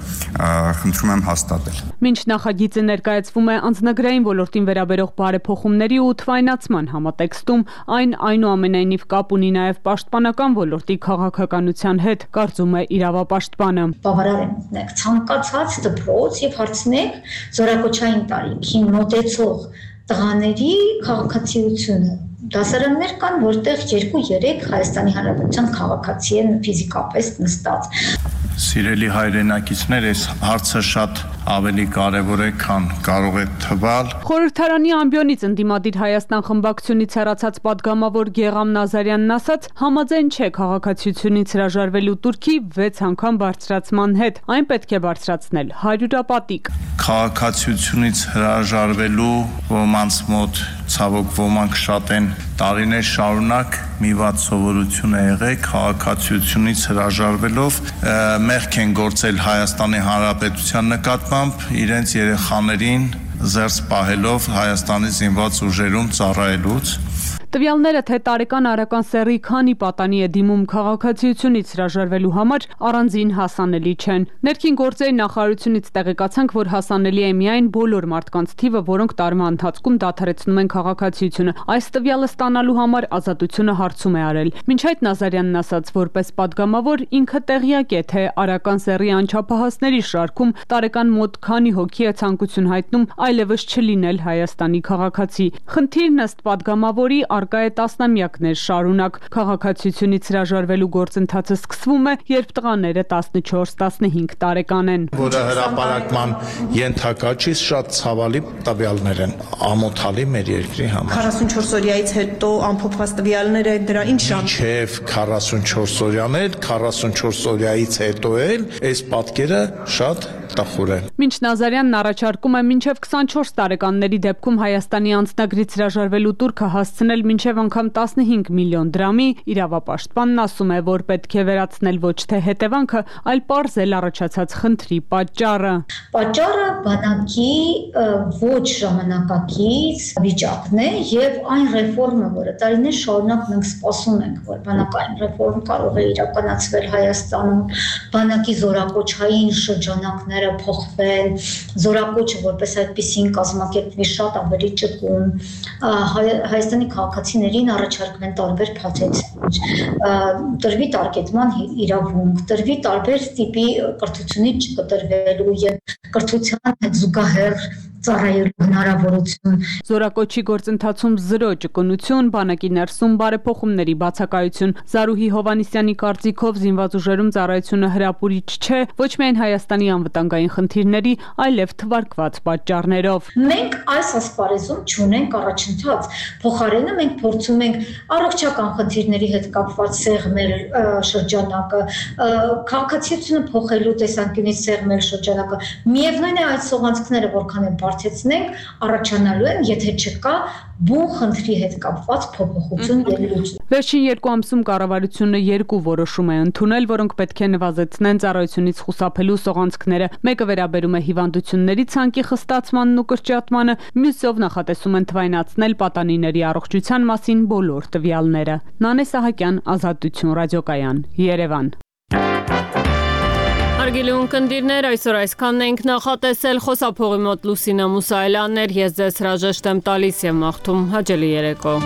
Խնդրում եմ հաստատել։ Մինչ նախագիծը ներկայացվում է անձնագրային ոլորտին վերաբերող բարեփոխումների ու թվայնացման համատեքստում, այն այնուամենայնիվ կապ ունի նաև պաշտպանական ոլորտի քաղաքականության հետ, կարծում է իրավապաշտպանը։ Բավարար է մտնեք ցանկացած դպրոց եւ հարցնեք զորակոչային տարիքին մոտեցող տղաների քաղաքացիությունը։ Դասարաններ կան, որտեղ 2-3 Հայաստանի Հանրապետության քաղաքացի են ֆիզիկապես նստած։ Սիրելի հայրենակիցներ, այս հարցը շատ ավելի կարևոր է, քան կարող է թվալ։ Խորհրդարանի ամբիոնից ընդդիմադիր Հայաստան խմբակցությունից հեռացած падգամավոր Գեգամ Նազարյանն ասաց, համաձայն չէ քաղաքացիությունից հրաժարվելու տուրքի 6 անգամ բարձրացման հետ, այն պետք է բարձրացնել 100-ապատիկ։ Քաղաքացիությունից հրաժարվելու ոմանց մոտ ցավոք ոմանք շատ են տարիներ շարունակ մի վատ սովորություն է եղել քաղաքացիությունից հրաժարվելով մեղք են գործել Հայաստանի Հանրապետության նկատմամբ իրենց երեխաներին զերծ պահելով Հայաստանի զինված ուժերում ծառայելուց։ Տվյալները, թե տարեկան արական սեռի քանի պատանի է դիմում քաղաքացիությունից հրաժարվելու համար, առանձին հասանելի չեն։ Ներքին գործերի նախարարությունից տեղեկացանք, որ հասանելի է միայն բոլոր մարդկանց թիվը, որոնք տարվա ընթացքում դադարեցնում են քաղաքացիությունը։ Այս տվյալը ստանալու համար Ազատությունը հարցում է արել։ Մինչ այդ Նազարյանն ասաց, որպես падգամավոր ինքը տեղյակ է, թե արական սեռի անչափահասների շարքում տարեկան մոտ քանի հոգի է ցանկություն հայտնում այլևս չլինել Հայաստանի քաղաքացի։ Խնդիրն ըստ падգամավորի արկա է տասնամյակներ շարունակ։ Քաղաքացիությունից հրաժարվելու գործընթացը սկսվում է, երբ տղաները 14-15 տարեկան են։ Որը հրապարակման ենթակա չի, շատ ցավալի տվյալներ են, ամոթալի մեր երկրի համար։ 44 օրյայից հետո ամփոփված տվյալները դրա ինչ ժամ։ Չէ, 44 օրյաներ, 44 օրյայից հետո էլ այս պատկերը շատ տխուր է։ Մինչ Նազարյանն առաջարկում է մինչև 24 տարեկանների դեպքում Հայաստանի անձնագրից հրաժարվելու տուրքը հասցնել մինչև անգամ 15 միլիոն դրամի, իրավապաշտպանն ասում է, որ պետք է վերացնել ոչ թե հետևանքը, այլ պարզել առաջացած խնդրի պատճառը։ Պատճառը բանակի ոչ ժամանակակից վիճակն է եւ այն ռեֆորմը, որը տարիներ շարունակ մենք սպասում ենք, որ բանակային ռեֆորմ կարող է իրականացվել Հայաստանում, բանակի զորակոչային շրջանակները փոխվել, զորակոչը որպես այդպեսին կազմակերպվի շատ ավելի ճկուն, Հայաստանի քաղաքացիներին առաջարկվեն տարբեր փաթեթներ, տրվի տարկետման իրավունք, տրվի տարբեր տիպի կրթությունից չկտրվելու եւ կրթության հետ զուգահեռ ծառայելու հնարավորություն։ Զորակոչի գործընթացում զրո ճկունություն, բանակի ներսում բարեփոխումների բացակայություն։ Զարուհի Հովանիսյանի կարծիքով զինված ուժերում ծառայությունը հրապուրիչ չէ ոչ միայն Հայաստանի անվտանգային խնդիրների, այլև թվարկված պատճառներով։ Մենք այս ասպարեզում չունենք առաջընթաց, փոխարենը մենք փորձում ենք առողջական խնդիրների հետ կապված սեղմել շրջանակը, քաղաքացիությունը փոխելու տեսանկյունից սեղմել շրջանակը։ Միևնույն է այդ սողանցքները որքան են բարձեցնենք, առաջանալու են, եթե չկա բուն խնդրի հետ կապված փոփոխություն եւ լուծում։ Վերջին 2 ամսում կառավարությունը 2 որոշում է ընդունել, որոնք պետք է նվազեցնեն ծառայությունից խուսափելու սողանցքները։ Մեկը վերաբերում է հիվանդությունների ցանկի խստացմանն ու կրճատմանը, մյուսով նախատեսում են թվայնացնել պատանիների առողջության մասին բոլոր տվյալները։ Նանե Սահակյան, Ազատություն ռադիոկայան, Երևան։ Հարգելի ունկնդիրներ, այսօր այսքանն ենք նախատեսել, խոսափողի մոտ Լուսինա Մուսայելյանն էր, ես ձեզ հրաժեշտ եմ տալիս եւ մաղթում հաճելի երեկո։